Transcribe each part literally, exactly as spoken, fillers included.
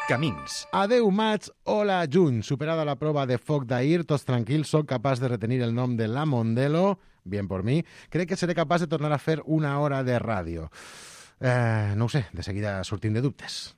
Camins. Adeu maig, hola juny. Superada la prova de foc d'ahir, tots tranquils, soc capaç de retenir el nom de la Mondelo, bien por mi. Crec que seré capaç de tornar a fer una hora de ràdio. Eh, no ho sé, de seguida sortim de dubtes.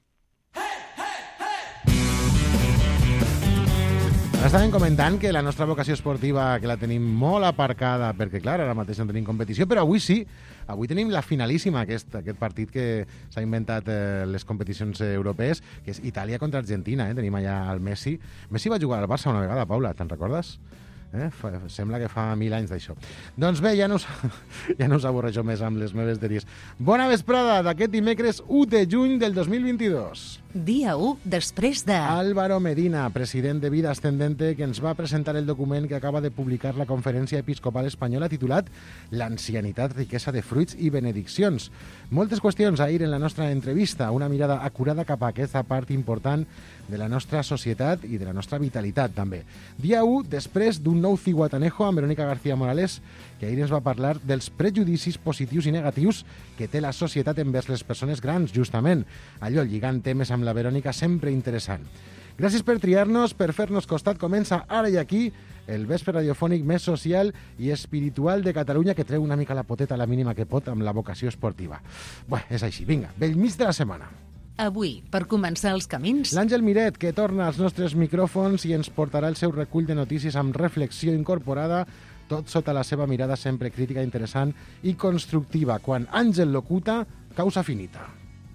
Estàvem comentant que la nostra vocació esportiva que la tenim molt aparcada perquè, clar, ara mateix no tenim competició, però avui sí. Avui tenim la finalíssima, aquest, aquest partit que s'ha inventat eh, les competicions europees, que és Itàlia contra Argentina. Eh? Tenim allà el Messi. Messi va jugar al Barça una vegada, Paula, te'n recordes? Eh? Fa, sembla que fa mil anys d'això. Doncs bé, ja no us, ja no us avorreixo més amb les meves dèries. Bona vesprada d'aquest dimecres u de juny del dos mil vint-i-dos. Dia u després de... Álvaro Medina, president de Vida Ascendente, que ens va presentar el document que acaba de publicar la Conferència Episcopal Espanyola titulat L'ancianitat, riquesa de fruits i benediccions. Moltes qüestions ahir en la nostra entrevista, una mirada acurada cap a aquesta part important de la nostra societat i de la nostra vitalitat, també. Dia u després d'un nou ciguatanejo amb Verónica García Morales, que ahir ens va parlar dels prejudicis positius i negatius que té la societat envers les persones grans, justament. Allò, lligant temes amb la Verònica, sempre interessant. Gràcies per triar-nos, per fer-nos costat. Comença ara i aquí el vespre radiofònic més social i espiritual de Catalunya, que treu una mica la poteta a la mínima que pot amb la vocació esportiva. Bé, és així. Vinga, bell mig de la setmana. Avui, per començar els camins... L'Àngel Miret, que torna als nostres micròfons i ens portarà el seu recull de notícies amb reflexió incorporada, tot sota la seva mirada sempre crítica, interessant i constructiva. Quan Àngel locuta, causa finita.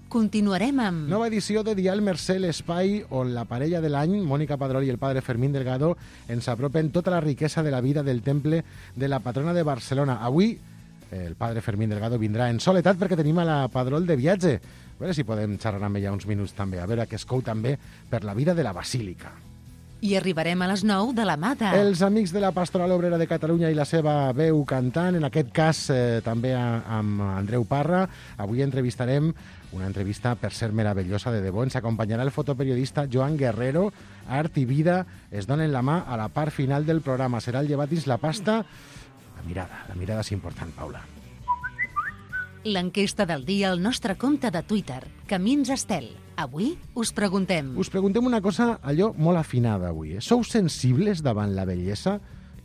Continuarem amb... Nova edició de Dial Mercè, l'espai on la parella de l'any, Mònica Padrol i el padre Fermín Delgado, ens apropen tota la riquesa de la vida del temple de la patrona de Barcelona. Avui, el padre Fermín Delgado vindrà en soledat perquè tenim a la Padrol de viatge. A veure si podem xerrar amb ella uns minuts també, a veure què es cou també per la vida de la Basílica. I arribarem a les nou de la mà de... Els amics de la Pastoral Obrera de Catalunya i la seva veu cantant, en aquest cas eh, també a, amb Andreu Parra. Avui entrevistarem una entrevista, per ser meravellosa de debò. Ens acompanyarà el fotoperiodista Joan Guerrero. Art i vida es donen la mà a la part final del programa. Serà el llevat dins la pasta. La mirada, la mirada és important, Paula. L'enquesta del dia al nostre compte de Twitter, Camins Estel. Avui us preguntem... Us preguntem una cosa, allò molt afinada avui. Eh? Sou sensibles davant la bellesa?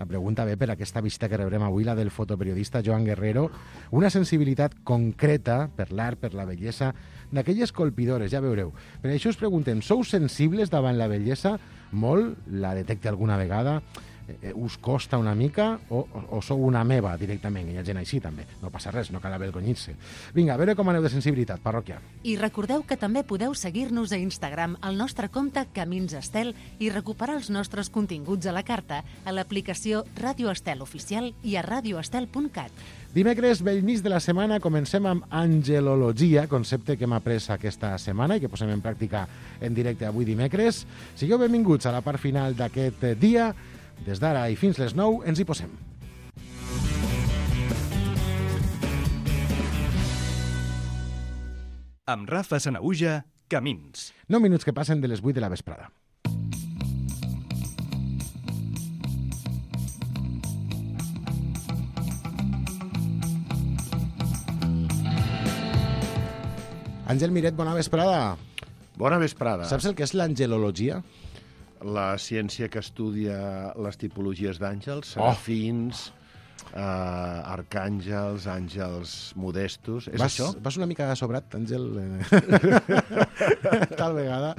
La pregunta ve per aquesta visita que rebrem avui, la del fotoperiodista Joan Guerrero. Una sensibilitat concreta per l'art, per la bellesa, d'aquelles colpidores, ja veureu. Per això us preguntem, sou sensibles davant la bellesa? Molt? La detecte alguna vegada? Eh, us costa una mica o, o, o sou una meva directament? Hi ha gent així també, no passa res, no cal avergonyir-se. Vinga, a veure com aneu de sensibilitat, parròquia. I recordeu que també podeu seguir-nos a Instagram al nostre compte Camins Estel i recuperar els nostres continguts a la carta a l'aplicació Ràdio Estel Oficial i a radioestel punt cat. Dimecres, bell mig de la setmana, comencem amb angelologia, concepte que hem après aquesta setmana i que posem en pràctica en directe avui dimecres. Sigueu benvinguts a la part final d'aquest dia. Des d'ara i fins les nou ens hi posem. Amb Rafa Sanaüja, Camins. nou minuts que passen de les vuit de la vesprada. Àngel Miret, bona vesprada. Bona vesprada. Saps el que és l'angelologia? La ciència que estudia les tipologies d'àngels, Oh. serafins, eh, arcàngels, àngels modestos. És vas, això? Vas una mica sobrat, Àngel, tal vegada.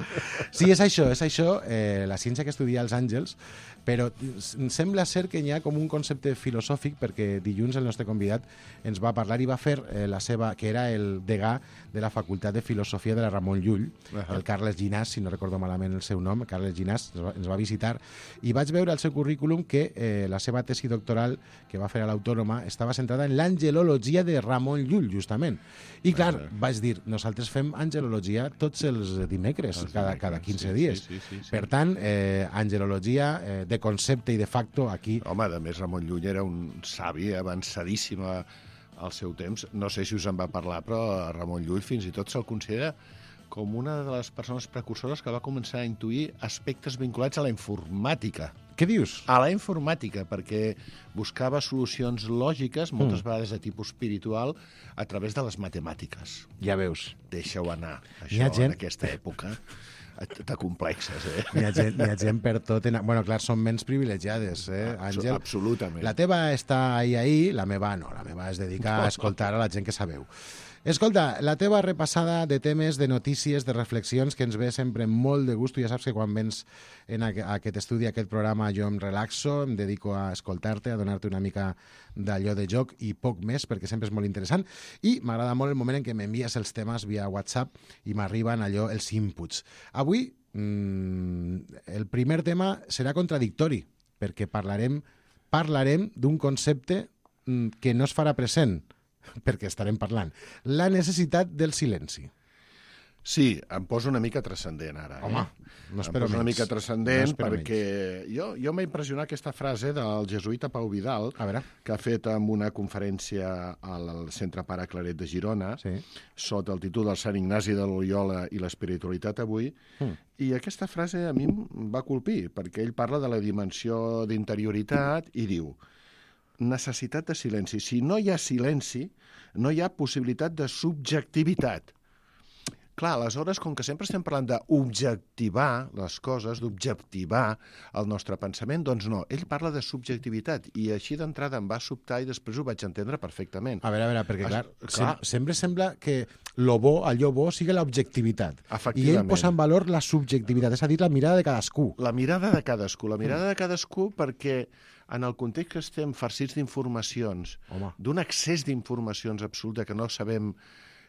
Sí, és això, és això, eh, la ciència que estudia els àngels, però sembla ser que hi ha com un concepte filosòfic, perquè dilluns el nostre convidat ens va parlar i va fer eh, la seva, que era el degà de la Facultat de Filosofia de la Ramon Llull, uh-huh. el Carles Llinàs, si no recordo malament el seu nom, Carles Llinàs ens va, ens va visitar, i vaig veure al seu currículum que eh, la seva tesi doctoral que va fer a l'Autònoma estava centrada en l'angelologia de Ramon Llull, justament. I clar, uh-huh. vaig dir, nosaltres fem angelologia tots els dimecres, els cada, dimecres cada quinze sí, dies. Sí, sí, sí, sí. Per tant, eh, angelologia eh, de concepte i de facto aquí... Home, a més, Ramon Llull era un savi avançadíssim al seu temps. No sé si us en va parlar, però Ramon Llull fins i tot se'l considera com una de les persones precursores que va començar a intuir aspectes vinculats a la informàtica. Què dius? A la informàtica, perquè buscava solucions lògiques, moltes mm. vegades de tipus espiritual, a través de les matemàtiques. Ja veus. Deixa-ho anar, això, gent... en aquesta època. T'acomplexes, eh? N'hi ha, gent, n'hi ha gent per tot. En... Bueno, clar, són menys privilegiades, eh, Àngel? Absolutament. La teva està ahí, ahí, la meva no. La meva es dedica a escoltar a la gent que sabeu. Escolta, la teva repassada de temes, de notícies, de reflexions, que ens ve sempre molt de gust. Ja saps que quan vens en aquest estudi, aquest programa, jo em relaxo, em dedico a escoltar-te, a donar-te una mica d'allò de joc i poc més, perquè sempre és molt interessant. I m'agrada molt el moment en què m'envies els temes via WhatsApp i m'arriben allò, els inputs. Avui, mmm, el primer tema serà contradictori, perquè parlarem, parlarem d'un concepte mmm, que no es farà present, perquè estarem parlant. La necessitat del silenci. Sí, em poso una mica transcendent ara. Home, eh? no em espero poso una menys. mica transcendent No espero perquè jo, jo m'ha impressionat aquesta frase del jesuïta Pau Vidal, A veure. que ha fet en una conferència al Centre Pare Claret de Girona, Sí. sota el títol del Sant Ignasi de Loyola i l'espiritualitat avui, Mm. i aquesta frase a mi em va colpir, perquè ell parla de la dimensió d'interioritat i diu: necessitat de silenci. Si no hi ha silenci, no hi ha possibilitat de subjectivitat. Clar, aleshores, com que sempre estem parlant d'objectivar les coses, d'objectivar el nostre pensament, doncs no, ell parla de subjectivitat, i així d'entrada em va sobtar i després ho vaig entendre perfectament. A veure, a veure, perquè clar, Es- sem clar. sempre sembla que lo bo, allò bo, sigui l'objectivitat. I ell Efectivament. posa en valor la subjectivitat, és a dir, la mirada de cadascú. La mirada de cadascú, la mirada de cadascú perquè en el context que estem farcits d'informacions, Home. d'un excés d'informacions absoluta que no sabem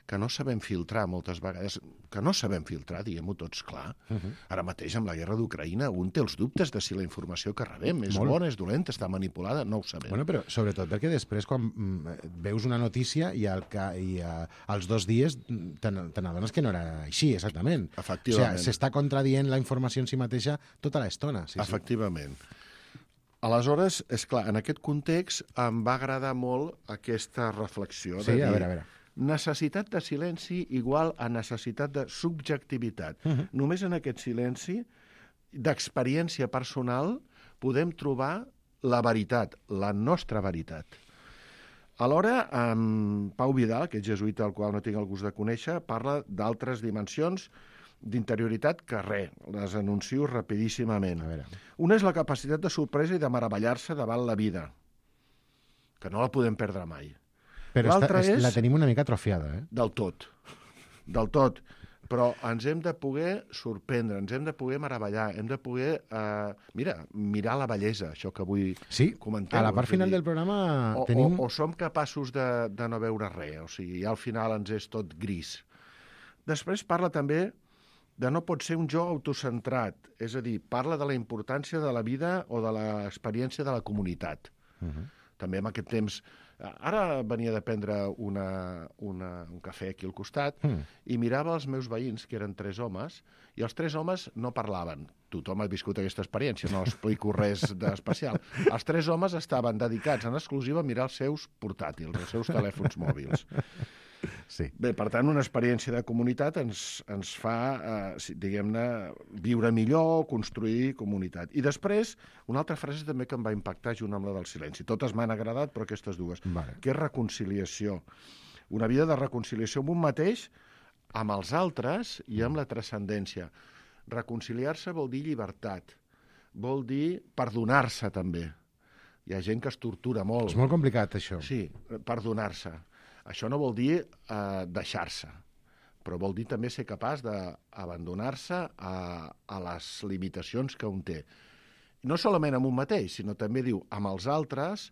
que no sabem filtrar moltes vegades, que no sabem filtrar, diguem-ho tots clar. Uh -huh. Ara mateix, amb la guerra d'Ucraïna, un té els dubtes de si la informació que rebem és Molt. bona, és dolenta, està manipulada, no ho sabem. Bueno, però sobretot perquè després quan mm, veus una notícia i, al ca, i a, als dos dies mm, te n- te n'adones que no era així, exactament. Efectivament. O sigui, s'està contradient la informació en si mateixa tota l'estona. Sí, sí. Efectivament. Aleshores, és clar, en aquest context em va agradar molt aquesta reflexió. Sí, de dir, a veure, a veure. necessitat de silenci igual a necessitat de subjectivitat. Uh -huh. Només en aquest silenci d'experiència personal podem trobar la veritat, la nostra veritat. Alhora, en Pau Vidal, que és jesuïta, al qual no tinc el gust de conèixer, parla d'altres dimensions d'interioritat que res, les anuncio rapidíssimament. A veure. Una és la capacitat de sorpresa i de meravellar-se davant la vida, que no la podem perdre mai. Però L'altre està, és... és- la tenim una mica atrofiada, eh? Del tot. Del tot. Però ens hem de poder sorprendre, ens hem de poder meravellar, hem de poder, eh, mira, mirar la bellesa, això que avui Sí, comentem. a la part és a final dir, del programa o, tenim... o, o som capaços de, de no veure res, o sigui, ja al final ens és tot gris. Després parla també de no pot ser un jo autocentrat, és a dir, parla de la importància de la vida o de l'experiència de la comunitat. Uh -huh. També en aquest temps... Ara venia de prendre una, una, un cafè aquí al costat Mm. i mirava els meus veïns, que eren tres homes, i els tres homes no parlaven. Tothom ha viscut aquesta experiència, no explico res d'especial. Els tres homes estaven dedicats en exclusiva a mirar els seus portàtils, els seus telèfons mòbils. Sí. Bé, per tant, una experiència de comunitat ens, ens fa, eh, si- diguem-ne, viure millor, construir comunitat. I després, una altra frase també que em va impactar junt amb la del silenci. Totes m'han agradat, però aquestes dues. Vale. Que és reconciliació. Una vida de reconciliació amb un mateix, amb els altres i amb la transcendència. Reconciliar-se vol dir llibertat. Vol dir perdonar-se, també. Hi ha gent que es tortura molt. És molt complicat, això. Sí, perdonar-se. Això no vol dir eh, deixar-se, però vol dir també ser capaç d'abandonar-se a, a les limitacions que un té. No solament amb un mateix, sinó també diu amb els altres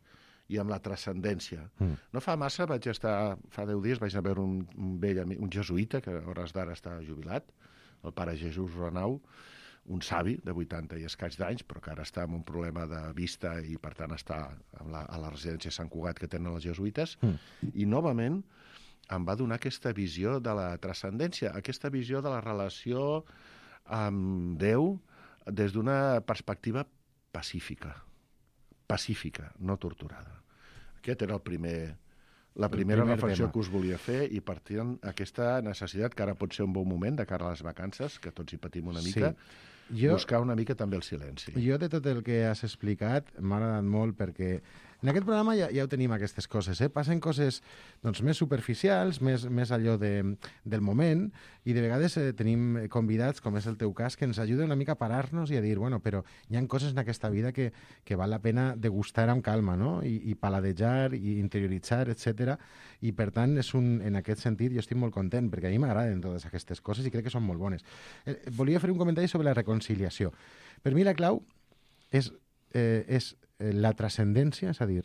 i amb la transcendència. Mm. No fa massa vaig estar, fa deu dies vaig anar a veure un, un vell amic, un jesuïta, que a hores d'ara està jubilat, el pare Jesús Renau, un savi de vuitanta i escaig d'anys, però que ara està amb un problema de vista i, per tant, està a la, a la residència Sant Cugat que tenen els jesuïtes, mm. i novament em va donar aquesta visió de la transcendència, aquesta visió de la relació amb Déu des d'una perspectiva pacífica, pacífica, no torturada. Aquest era el primer... La primera primer reflexió tema. que us volia fer i partint aquesta necessitat, que ara pot ser un bon moment de cara a les vacances, que tots hi patim una mica, Sí. Jo, buscar una mica també el silenci. Jo, de tot el que has explicat, m'ha agradat molt perquè en aquest programa ja, ja ho tenim, aquestes coses. Eh? Passen coses doncs, més superficials, més, més allò de, del moment, i de vegades eh, tenim convidats, com és el teu cas, que ens ajuden una mica a parar-nos i a dir, bueno, però hi ha coses en aquesta vida que, que val la pena degustar amb calma, no? I, i paladejar, i interioritzar, etcètera. I, per tant, és un, en aquest sentit, jo estic molt content, perquè a mi m'agraden totes aquestes coses i crec que són molt bones. Eh, volia fer un comentari sobre la reconciliació. Per mi la clau és, eh, és la transcendència, és a dir,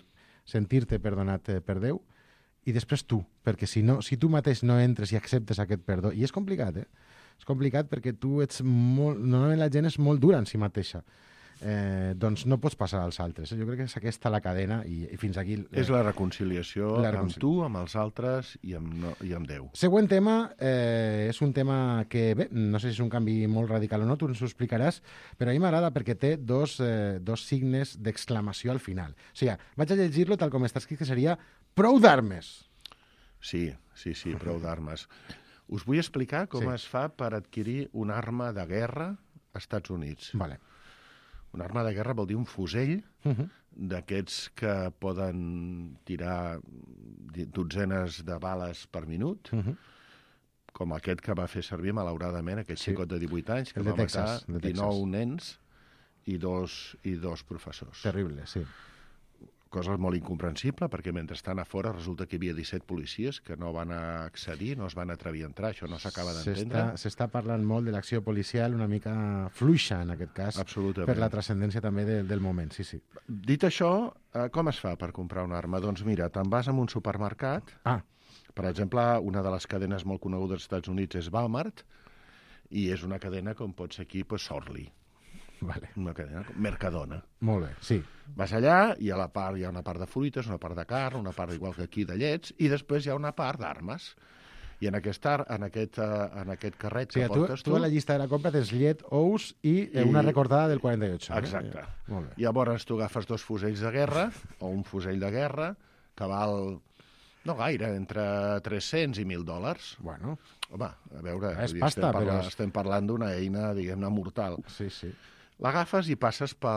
sentir-te perdonat per Déu, i després tu, perquè si, no, si tu mateix no entres i acceptes aquest perdó, i és complicat, eh? És complicat perquè tu ets molt... Normalment la gent és molt dura en si mateixa. Eh, doncs no pots passar als altres. Jo crec que és aquesta la cadena i, i fins aquí... Eh, és la reconciliació la amb reconcili... tu, amb els altres i amb, no, i amb Déu. Següent tema, eh, és un tema que, bé, no sé si és un canvi molt radical o no, tu ens ho explicaràs, però a mi m'agrada perquè té dos, eh, dos signes d'exclamació al final. O sigui, vaig a llegir-lo tal com està escrit, que seria prou d'armes. Sí, sí, sí, prou d'armes. Us vull explicar com Sí. es fa per adquirir una arma de guerra als Estats Units. Vale. Una arma de guerra vol dir un fusell Uh -huh. d'aquests que poden tirar dotzenes de bales per minut, Uh -huh. com aquest que va fer servir, malauradament, aquest Sí. xicot de divuit anys, que El de va Texas, matar de dinou Texas. nens i dos, i dos professors. Terrible, sí. Cosa molt incomprensible, perquè mentre estan a fora resulta que hi havia disset policies que no van accedir, no es van atrevir a entrar, això no s'acaba d'entendre. S'està s'està parlant molt de l'acció policial una mica fluixa, en aquest cas, Absolutament. per la transcendència també de, del moment, sí, sí. Dit això, eh, com es fa per comprar una arma? Doncs mira, te'n vas a un supermercat, Ah, per exemple, una de les cadenes molt conegudes als Estats Units és Walmart, i és una cadena com pot ser aquí, pues, Sorli, vale. una cadena, Mercadona. Molt bé, sí. Vas allà i a la part hi ha una part de fruites, una part de carn, una part igual que aquí de llets, i després hi ha una part d'armes. I en aquest, ar- en aquest, uh, en aquest carret O sigui, que tu, portes tu a la llista de la compra tens llet, ous i, eh, I- una recordada del quaranta i ocho. Exacte. Eh? Molt bé. Llavors tu agafes dos fusells de guerra, o un fusell de guerra, que val, no gaire, entre tres-cents i mil dòlars. Bueno, Home, a veure, És vull dir, pasta, estem, parlant, però és- estem parlant d'una eina, diguem-ne, mortal. sí, sí. L'agafes i passes per,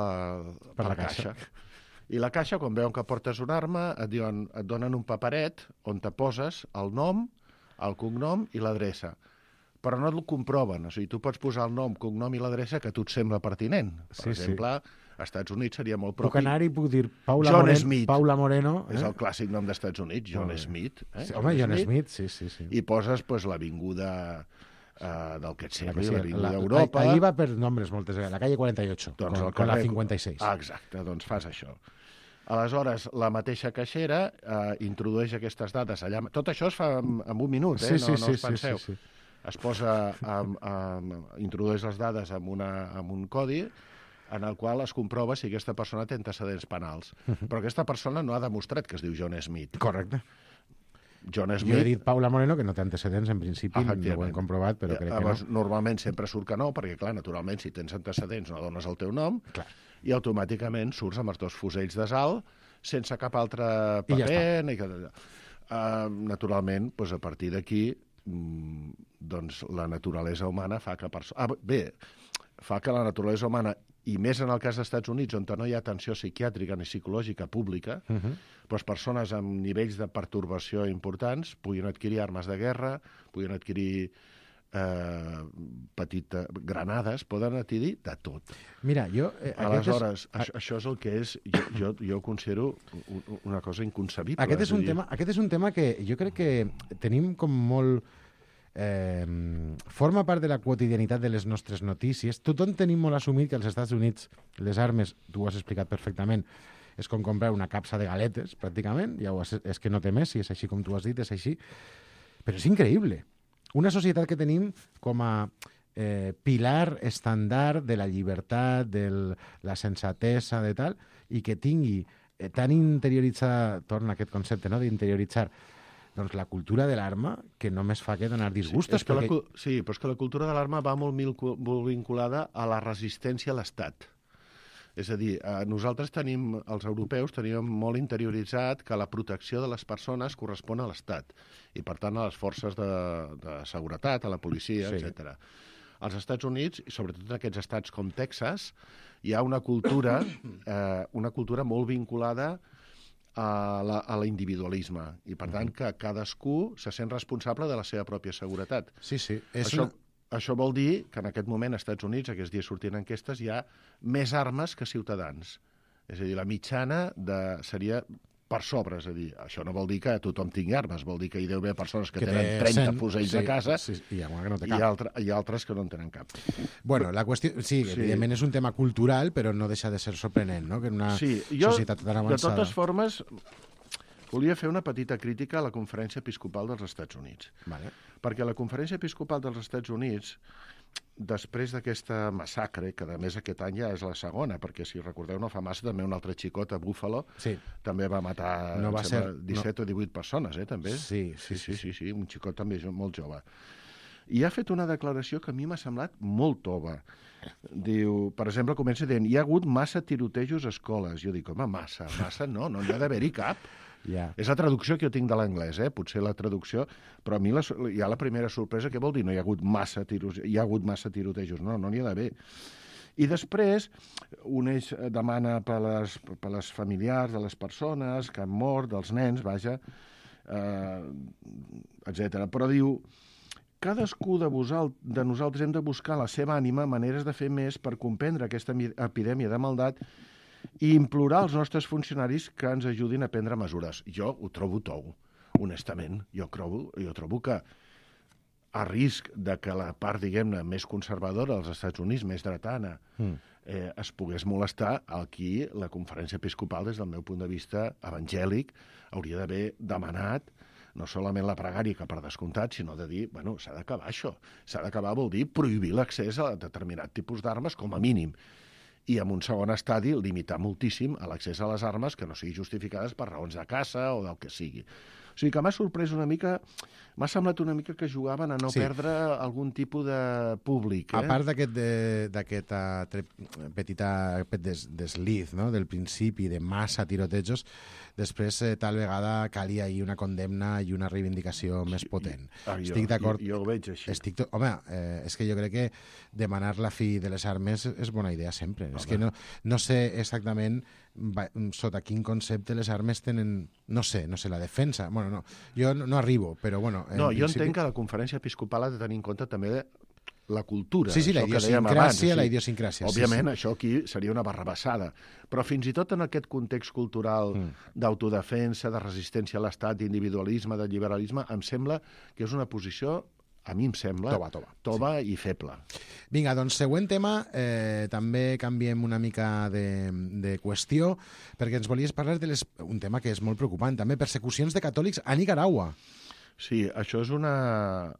Per per la la caixa. I la caixa, quan veuen que portes una arma, et, diuen, et donen un paperet on te poses el nom, el cognom i l'adreça. Però no el comproven. O sigui, tu pots posar el nom, cognom i l'adreça que a tu et sembla pertinent. Per Sí, sí. exemple, als Estats Units seria molt Puc propi. anar i puc dir Paula, John Moreno, Smith. Paula Moreno. Eh? És el clàssic nom dels Estats Units, John Molt bé. Smith. Eh? Sí, home, John Smith, sí, sí. sí. I poses pues, l'avinguda eh, del que et La que sembli, sí, l'avinguda la- d'Europa. Ahí va per nombres moltes vegades. La calle quaranta y ocho, Doncs con, el con la carrer- cincuenta y seis. Ah, exacte, doncs fas això. Aleshores, la mateixa caixera eh, introdueix aquestes dades allà. Tot això es fa en, en un minut, eh? Sí, sí, no, no sí, us sí, penseu. sí, sí. Es posa, amb, amb, introdueix les dades amb, una, amb un codi en el qual es comprova si aquesta persona té antecedents penals. Però aquesta persona no ha demostrat que es diu John Smith. Correcte. John Jo he Smith... dit Paula Moreno, que no té antecedents, en principi, no ho hem Efectivament. comprovat, però crec que Llavors, no. normalment sempre surt que no, perquè, clar, naturalment, si tens antecedents no dones el teu nom, Clar. i automàticament surts amb els dos fusells de salt, sense cap altre I ja paper. Ni que... uh, naturalment, doncs a partir d'aquí, mm, doncs la naturalesa humana fa que... Perso... Ah, bé, fa que la naturalesa humana, i més en el cas dels Estats Units, on no hi ha atenció psiquiàtrica ni psicològica pública, Uh -huh. doncs persones amb nivells de pertorbació importants puguin adquirir armes de guerra, puguin adquirir eh, petites granades, poden adquirir de tot. Mira, jo... Eh, Aleshores, aquest és, això, això és el que és, jo, jo, jo ho considero un- una cosa inconcebible. aquest, és a un dir, tema, aquest és un tema que jo crec que tenim com molt... Eh, forma part de la quotidianitat de les nostres notícies. Tothom tenim molt assumit que als Estats Units les armes, tu ho has explicat perfectament, és com comprar una capsa de galetes, pràcticament, ja ho has, és que no té més, si és així com tu has dit, és així. Però és increïble. Una societat que tenim com a eh, pilar estàndard de la llibertat, de la sensatesa, de tal, i que tingui eh, tan interioritzada, torna a aquest concepte, no?, d'interioritzar, doncs la cultura de l'arma, que només fa que donar disgustos. és que la, perquè... cu- sí, però és que la cultura de l'arma va molt, mil, molt vinculada a la resistència a l'Estat. És a dir, eh, nosaltres tenim, els europeus, teníem molt interioritzat que la protecció de les persones correspon a l'Estat i, per tant, a les forces de, de seguretat, a la policia, Sí. etcètera. als Estats Units, i sobretot en aquests estats com Texas, hi ha una cultura, eh, una cultura molt vinculada a, la, a l'individualisme, i per tant que cadascú se sent responsable de la seva pròpia seguretat. Sí, sí. És Això, una... això vol dir que en aquest moment als Estats Units, aquests dies sortint enquestes, hi ha més armes que ciutadans. És a dir, la mitjana de, seria per sobre, és a dir, això no vol dir que tothom tingui armes, vol dir que hi deu haver persones que, que tenen trenta cent, fusells sí, a casa, sí, i hi ha, que no té cap. I, altre, i altres que no en tenen cap. Bueno, la qüestió, sí, sí, evidentment és un tema cultural, però no deixa de ser sorprenent, no?, que en una sí, jo, societat tan avançada... De totes formes, volia fer una petita crítica a la Conferència Episcopal dels Estats Units. Vale. Perquè la Conferència Episcopal dels Estats Units, després d'aquesta massacre, que a més aquest any ja és la segona, perquè si recordeu no fa massa també un altre xicot a Buffalo sí. també va matar no va ser, disset no. o divuit persones, eh, també. Sí sí sí, sí, sí, sí, un xicot també molt jove. I ha fet una declaració que a mi m'ha semblat molt tova. Diu, per exemple, comença dient, hi ha hagut massa tirotejos a escoles. Jo dic, home, massa, massa no, no n'hi ha d'haver-hi cap. Yeah. És la traducció que jo tinc de l'anglès, eh? Potser la traducció, però a mi la, hi ha la primera sorpresa, què vol dir? No hi ha hagut massa, tiros, hi ha hagut massa tirotejos, no, no n'hi ha d'haver. I després, un eix demana per les, per les familiars de les persones que han mort, dels nens, vaja, eh, etcètera. Però diu, cadascú de, vosal, de nosaltres hem de buscar la seva ànima maneres de fer més per comprendre aquesta epidèmia de maldat i implorar als nostres funcionaris que ens ajudin a prendre mesures. Jo ho trobo tou, honestament. Jo trobo, jo trobo que a risc de que la part, diguem-ne, més conservadora dels Estats Units, més dretana, mm. eh, es pogués molestar, aquí la Conferència Episcopal, des del meu punt de vista evangèlic, hauria d'haver demanat no solament la pregària, que per descomptat, sinó de dir, bueno, s'ha d'acabar això. S'ha d'acabar vol dir prohibir l'accés a determinat tipus d'armes, com a mínim. I en un segon estadi limitar moltíssim a l'accés a les armes que no siguin justificades per raons de caça o del que sigui. O sigui que m'ha sorprès una mica, m'ha semblat una mica que jugaven a no sí. perdre algun tipus de públic. Eh? A part d'aquest petita des, desliz, no?, del principi de massa tirotejos, després eh, tal vegada calia ahir una condemna i una reivindicació més potent. Ah, jo, Estic d'acord. Jo, jo ho veig així. Estic to... Home, eh, és que jo crec que demanar la fi de les armes és bona idea sempre. Home. És que no, no sé exactament va, sota quin concepte les armes tenen... No sé, no sé, la defensa... Bueno, no, jo no, no arribo, però bueno... No, jo principi... entenc que la Conferència Episcopal ha de tenir en compte també la cultura. Sí, sí, la idiosincràsia, la idiosincràsia. Òbviament, sí, sí. això aquí seria una barrabassada. Però fins i tot en aquest context cultural mm. d'autodefensa, de resistència a l'Estat, d'individualisme, de liberalisme, em sembla que és una posició, a mi em sembla, tova, tova. tova sí. i feble. Vinga, doncs següent tema, eh, també canviem una mica de, de qüestió, perquè ens volies parlar de les, un tema que és molt preocupant, també, persecucions de catòlics a Nicaragua. Sí, això és una...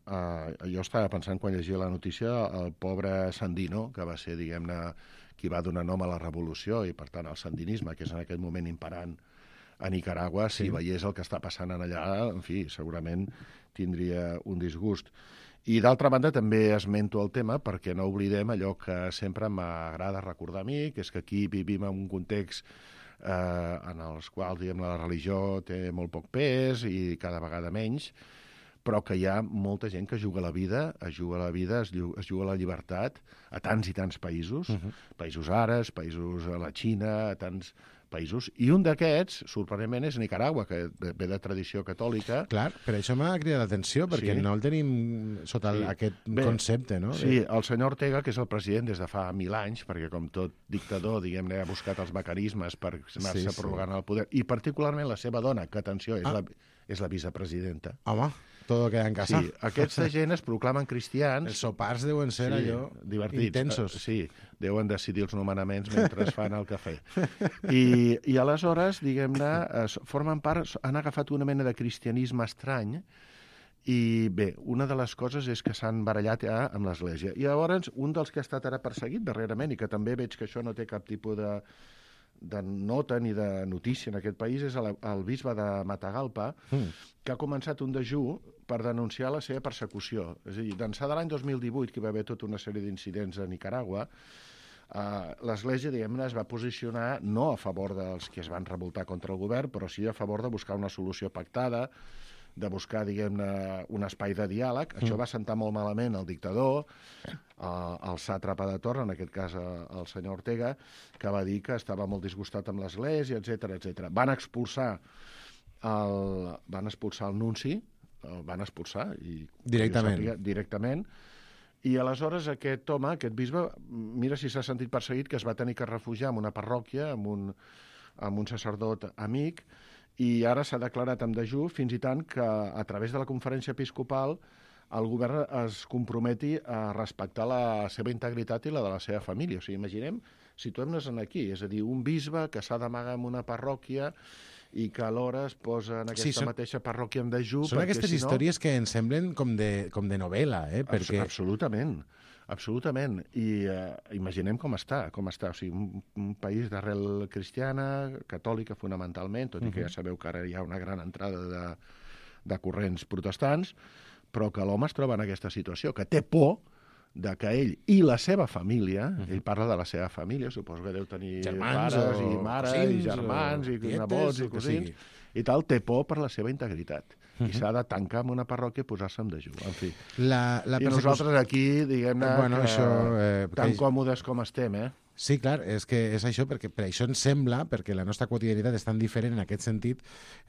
Uh, jo estava pensant quan llegia la notícia el pobre Sandino, que va ser, diguem-ne, qui va donar nom a la revolució i, per tant, el sandinisme, que és en aquest moment imperant a Nicaragua, si sí. veiés el que està passant allà, en fi, segurament tindria un disgust. I, d'altra banda, també esmento el tema perquè no oblidem allò que sempre m'agrada recordar a mi, que és que aquí vivim en un context Eh, en els quals, diguem, la religió té molt poc pes i cada vegada menys, però que hi ha molta gent que juga la vida, es juga la vida, es, es juga la llibertat a tants i tants països, uh-huh. països àrabs, països a la Xina, a tants països, i un d'aquests, sorprenentment, és Nicaragua, que ve de tradició catòlica. Clar, per això m'ha cridat l'atenció, perquè sí. no el tenim sota sí. aquest Bé, concepte, no? Sí, el senyor Ortega, que és el president des de fa mil anys, perquè com tot dictador, diguem-ne, ha buscat els mecanismes per anar-se sí, prorrogant sí. el poder, i particularment la seva dona, que, atenció, és, ah. la, és la vicepresidenta. Home, todo queda en casa. Sí, aquesta gent es proclamen cristians. Els sopars deuen ser sí, allò divertits. Intensos. Uh, sí, deuen decidir els nomenaments mentre es fan el cafè. I, i aleshores, diguem-ne, formen part, han agafat una mena de cristianisme estrany i, bé, una de les coses és que s'han barallat ja amb l'Església. I llavors, un dels que ha estat ara perseguit darrerament, i que també veig que això no té cap tipus de... de nota ni de notícia en aquest país, és el, el bisbe de Matagalpa, mm. que ha començat un dejú per denunciar la seva persecució. És a dir, d'ençà de l'any dos mil divuit, que hi va haver tota una sèrie d'incidents a Nicaragua, eh, l'Església, diguem-ne, es va posicionar no a favor dels que es van revoltar contra el govern, però sí a favor de buscar una solució pactada, de buscar, diguem-ne, un espai de diàleg. Això va sentar molt malament el dictador, el sàtrapa de torn, en aquest cas el senyor Ortega, que va dir que estava molt disgustat amb l'Església, etcètera, etcètera. Van expulsar el, van expulsar el nunci, el van expulsar. I, directament. Sàpiga, directament. I aleshores aquest home, aquest bisbe, mira si s'ha sentit perseguit, que es va tenir que refugiar en una parròquia, amb un, amb un sacerdot amic, i ara s'ha declarat en dejú, fins i tant que a través de la conferència episcopal el govern es comprometi a respectar la seva integritat i la de la seva família. O sigui, imaginem, situem-nos aquí, és a dir, un bisbe que s'ha d'amagar en una parròquia i que alhora es posa en aquesta sí, són, mateixa parròquia en dejú. Són aquestes si no... històries que ens semblen com de, com de novel·la, eh? Perquè... Absolutament. Absolutament. I eh, imaginem com està, com està. O sigui, un, un país d'arrel cristiana, catòlica fonamentalment, tot i que ja sabeu que ara hi ha una gran entrada de, de corrents protestants, però que l'home es troba en aquesta situació, que té por de que ell i la seva família, uh-huh. ell parla de la seva família, suposo que deu tenir germans pares i mares cosins, i germans i tietes, nebots i cosins, i tal, té por per la seva integritat. Uh-huh. I s'ha de tancar en una parròquia i posar-se en dejú. En fi. La, la I persecució... nosaltres aquí, diguem-ne, bueno, que això, eh, tan que... còmodes com estem, eh? Sí, clar, és que és això, perquè per això ens sembla, perquè la nostra quotidianitat és tan diferent en aquest sentit,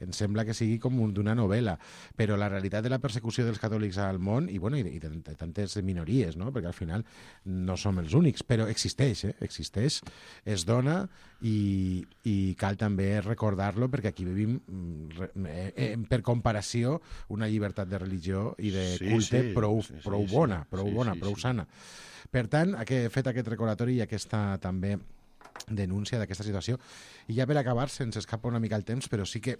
ens sembla que sigui com d'una novel·la, però la realitat de la persecució dels catòlics al món, i, bueno, i de, de tantes minories, no? Perquè al final no som els únics, però existeix, eh? existeix, es dona, i, i cal també recordar-lo, perquè aquí vivim, eh, eh, per comparació, una llibertat de religió i de sí, culte sí, prou, sí, sí, prou sí, bona, sí, prou sí, bona, sí, prou sí. sana. Per tant, he fet aquest recordatori i aquesta també denúncia d'aquesta situació. I ja per acabar, se'ns escapa una mica el temps, però sí que,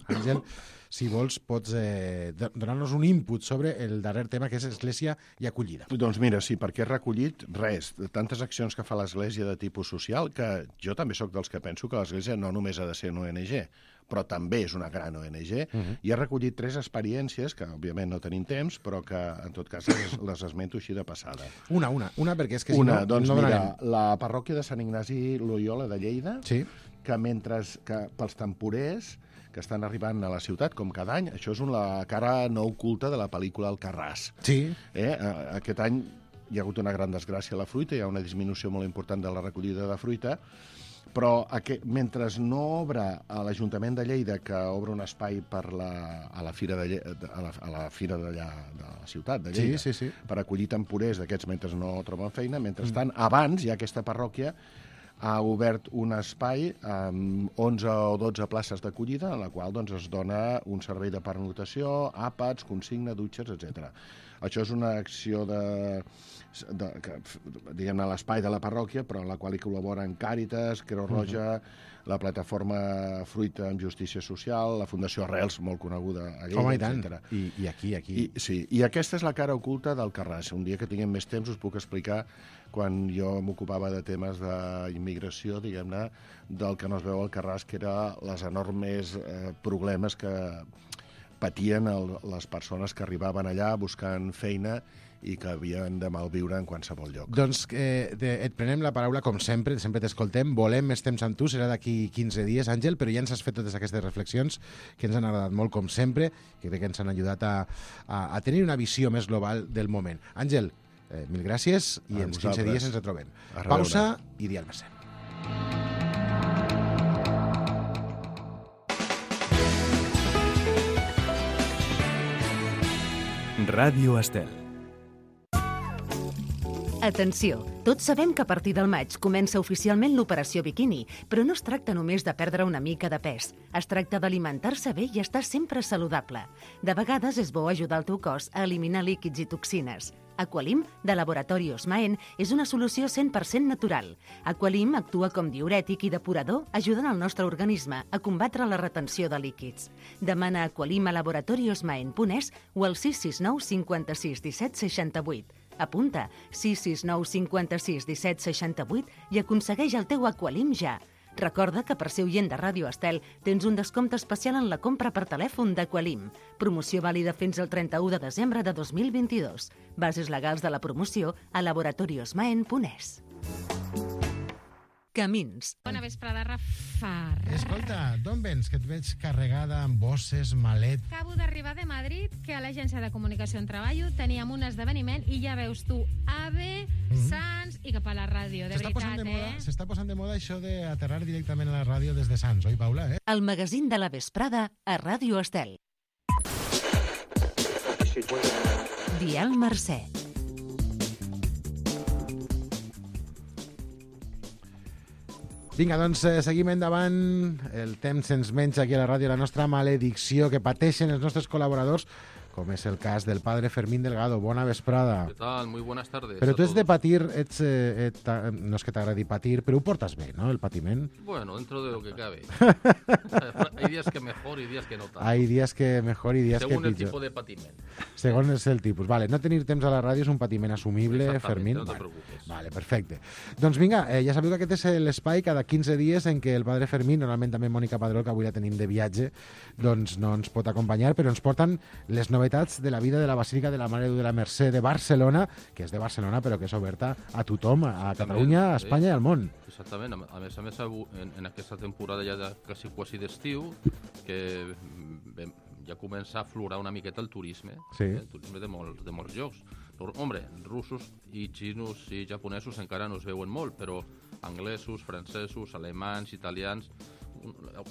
Àngel, si vols, pots eh, donar-nos un input sobre el darrer tema, que és Església i acollida. Doncs mira, sí, perquè he recollit res, de tantes accions que fa l'Església de tipus social, que jo també sóc dels que penso que l'Església no només ha de ser una O N G, però també és una gran O N G, uh-huh. i he recollit tres experiències, que òbviament no tenim temps, però que en tot cas les, les esmento així de passada. Una, una, una, perquè és que si una, no, doncs no mira, donarem. la parròquia de Sant Ignasi Loyola de Lleida, sí. que mentre que pels temporers que estan arribant a la ciutat, com cada any, això és una cara no oculta de la pel·lícula Alcarràs. Sí. Eh? Aquest any hi ha hagut una gran desgràcia a la fruita, hi ha una disminució molt important de la recollida de fruita, però aquest, mentre no obre a l'Ajuntament de Lleida, que obre un espai per la, a la fira de Lleida, a la, a la fira d'allà de la ciutat de Lleida, sí, sí, sí. per acollir temporers d'aquests mentre no troben feina, mentrestant, mm. abans hi ha aquesta parròquia ha obert un espai amb onze o dotze places d'acollida, en la qual doncs, es dona un servei de pernotació, àpats, consigna, dutxes, etcètera. Això és una acció de, de, que, diguem-ne, a l'espai de la parròquia, però en la qual hi col·laboren Càritas, Creu Roja, uh-huh. la plataforma Fruita amb Justícia Social, la Fundació Arrels, molt coneguda a Lleida, Home, i tant. etcètera. I, I aquí, aquí. I, sí, i aquesta és la cara oculta del Carràs. Un dia que tinguem més temps us puc explicar, quan jo m'ocupava de temes d'immigració, diguem-ne, del que no es veu al Carràs, que eren les enormes eh, problemes que patien el, les persones que arribaven allà buscant feina i que havien de malviure en qualsevol lloc. Doncs eh, de, et prenem la paraula, com sempre, sempre t'escoltem, volem més temps amb tu, serà d'aquí quinze dies, Àngel, però ja ens has fet totes aquestes reflexions que ens han agradat molt, com sempre, que crec que ens han ajudat a, a, a tenir una visió més global del moment. Àngel, eh, mil gràcies i en quinze dies ens retrobem. Pausa i Dial Mercè. Ràdio Estel. Atenció! Tots sabem que a partir del maig comença oficialment l'operació biquini, però no es tracta només de perdre una mica de pes. Es tracta d'alimentar-se bé i estar sempre saludable. De vegades és bo ajudar el teu cos a eliminar líquids i toxines. Aqualim, de Laboratori Osmaen, és una solució cent per cent natural. Aqualim actua com diürètic i depurador, ajudant el nostre organisme a combatre la retenció de líquids. Demana Aqualim a laboratori osmaen punt es o al sis sis nou cinquanta-sis disset seixanta-vuit. Apunta sis sis nou cinquanta-sis disset seixanta-vuit i aconsegueix el teu Aqualim ja. Recorda que per ser oient de Ràdio Estel tens un descompte especial en la compra per telèfon d'Aqualim. Promoció vàlida fins al trenta-u de desembre de dos mil vint-i-dos. Bases legals de la promoció a laboratori osmaen punt es. Camins. Bona vesprada, Rafa. Escolta, d'on vens? Que et veig carregada amb bosses, malet... Acabo d'arribar de Madrid, que a l'agència de comunicació on treballo teníem un esdeveniment i ja veus tu, AVE, mm-hmm. Sants i cap a la ràdio, de veritat, de moda, eh? S'està posant de moda això d'aterrar directament a la ràdio des de Sants, oi, Paula? Eh? El magazín de la vesprada a Ràdio Estel. Dial Mercè. Vinga, doncs eh, seguim endavant. El temps ens menja aquí a la ràdio, la nostra maledicció que pateixen els nostres col·laboradors, com és el cas del padre Fermín Delgado. Bona vesprada. ¿Qué tal? Muy buenas tardes. Però tu ets todos. de patir, ets, eh, et, no és que t'agradi patir, però ho portes bé, no?, el patiment. Bueno, dentro de lo que cabe. Hay días que mejor y días que no tanto. Hay días que mejor y días Según que el pitjor. tipo de patiment. Segons és el tipus. Vale, no tenir temps a la ràdio és un patiment assumible, Fermín. No te Vale. preocupes. Vale, perfecte. Doncs vinga, eh, ja sabeu que aquest és l'espai cada quinze dies en què el padre Fermín, normalment també Mònica Padró, que avui la tenim de viatge, doncs no ens pot acompanyar, però ens porten les novetats de la vida de la Basílica de la Mare de la Mercè de Barcelona, que és de Barcelona però que és oberta a tothom, a Catalunya, a Espanya i al món. Exactament. A més a més, en, en aquesta temporada ja de quasi, quasi d'estiu, que bé, ja comença a aflorar una miqueta el turisme, Sí. eh? El turisme de molts, de molts llocs. Hombre, russos i xinos i japonesos encara no es veuen molt, però anglesos, francesos, alemans, italians,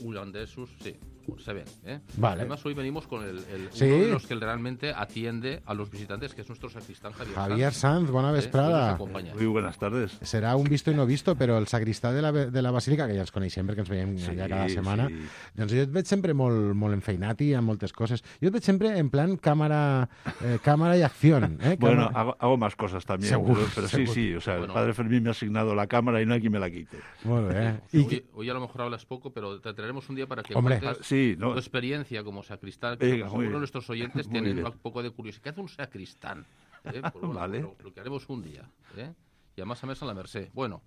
holandesos, sí, se ven, ¿eh? Vale. Además, hoy venimos con el, el Sí. uno de los que realmente atiende a los visitantes, que es nuestro sacristán Javier Sanz. Javier Sanz, bona ¿eh? vesprada. Que nos acompaña. Muy buenas tardes. Serà un visto i no visto, però el sagristà de la, de la Basílica, que ja ens coneixem perquè ens veiem Sí, allà cada setmana, sí. doncs jo et veig sempre molt, molt enfeinat i amb moltes coses. Jo et veig sempre en plan càmera, eh, càmera y acción. ¿eh? Bueno, Cámara... hago, hago más cosas también, Seguro, pero, pero sí, seguro. sí, o sea, Bueno. el padre Fermín me ha asignado la cámara y no hay quien me la quite. Molt bé. Hoy, I que... hoy a lo mejor hablas poco, pero te traeremos un día para que Hombre. cuentes Ah, sí, no. tu experiencia como sacristán. Que Venga, muy seguro bien. nuestros oyentes Muy tienen bien. un poco de curiosidad. ¿Qué hace un sacristán? ¿Eh? Pues bueno, Vale. lo, lo que haremos un día. ¿eh? Y además a mesa a la Mercè. Bueno,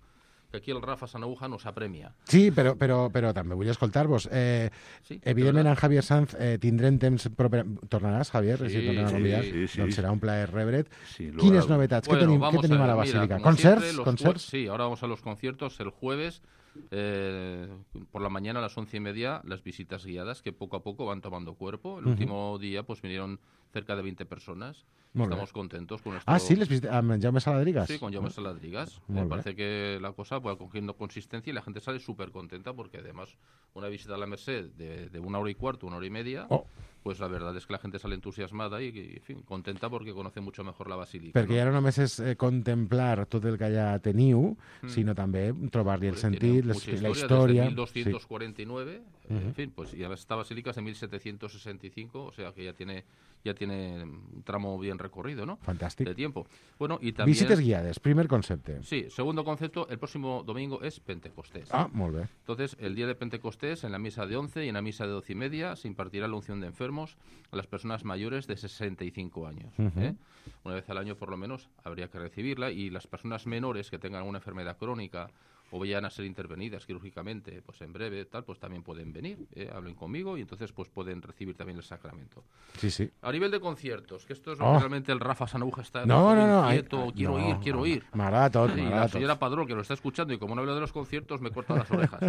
que aquí el Rafa Sanahuja nos apremia. Sí, però, però, però també vull escoltar-vos. Eh, Sí, evidentment, de en Javier Sanz eh, tindrem temps proper... Tornaràs, Javier? Sí, si et tornem a sí, convidar? sí, sí. Doncs serà un plaer rebre't. Sí, lo Quines hago. novetats? Bueno, què tenim, vamos què tenim a, ver, la mira, Basílica? como ¿Concerts? siempre, los ¿Concerts? jue- Sí, ahora vamos a los conciertos. El jueves, eh, por la mañana a las once y media, las visitas guiadas que poco a poco van tomando cuerpo. El Ujú. último día pues vinieron cerca de veinte personas. Molt Estamos bé. contentos con nuestro... Ah, sí? Les visites amb en Jaume Saladrigas? Sí, con Jaume Saladrigas. Muy Me bien. parece que la cosa va cogiendo consistencia y la gente sale súper contenta porque además una visita a la Merced de, de una hora y cuarto, una hora y media, Oh. pues la verdad es que la gente sale entusiasmada y, y, en fin, contenta porque conoce mucho mejor la basílica. Perquè ¿no? ja no només és eh, contemplar tot el que allà teniu, Mm. sinó també trobar-li el Hombre, sentit, tiene les, mucha la historia, història... desde mil doscientos cuarenta y nueve, Sí. eh, en fin, pues y esta basílica es de mil setecientos sesenta y cinco, o sea que ya tiene ya tiene un tramo bien recorrido, ¿no? Fantàstic. De tiempo. Bueno, y también... Visites guiades, primer concepte. Sí, segundo concepto, el próximo domingo es Pentecostés. Ah, molt bé. Entonces, el día de Pentecostés, en la misa de once y en la misa de doce y media, se impartirá la unción de enfermos a las personas mayores de sesenta y cinco años. Ujú. ¿eh? Una vez al año, por lo menos, habría que recibirla, y las personas menores que tengan alguna enfermedad crónica o vayan a ser intervenidas quirúrgicamente, pues en breve, tal, pues también pueden venir, ¿eh? Hablen conmigo y entonces pues pueden recibir también el sacramento. Sí, sí. A nivel de conciertos, que esto es lo Oh. que realmente el Rafa Sanahuja está No, no, no. inquieto, ai- quiero no, ir, quiero no. ir. M'agrada tot, Y m'agrada la tot. señora Padró, que lo está escuchando, y como no hablo de los conciertos, me corta las orejas.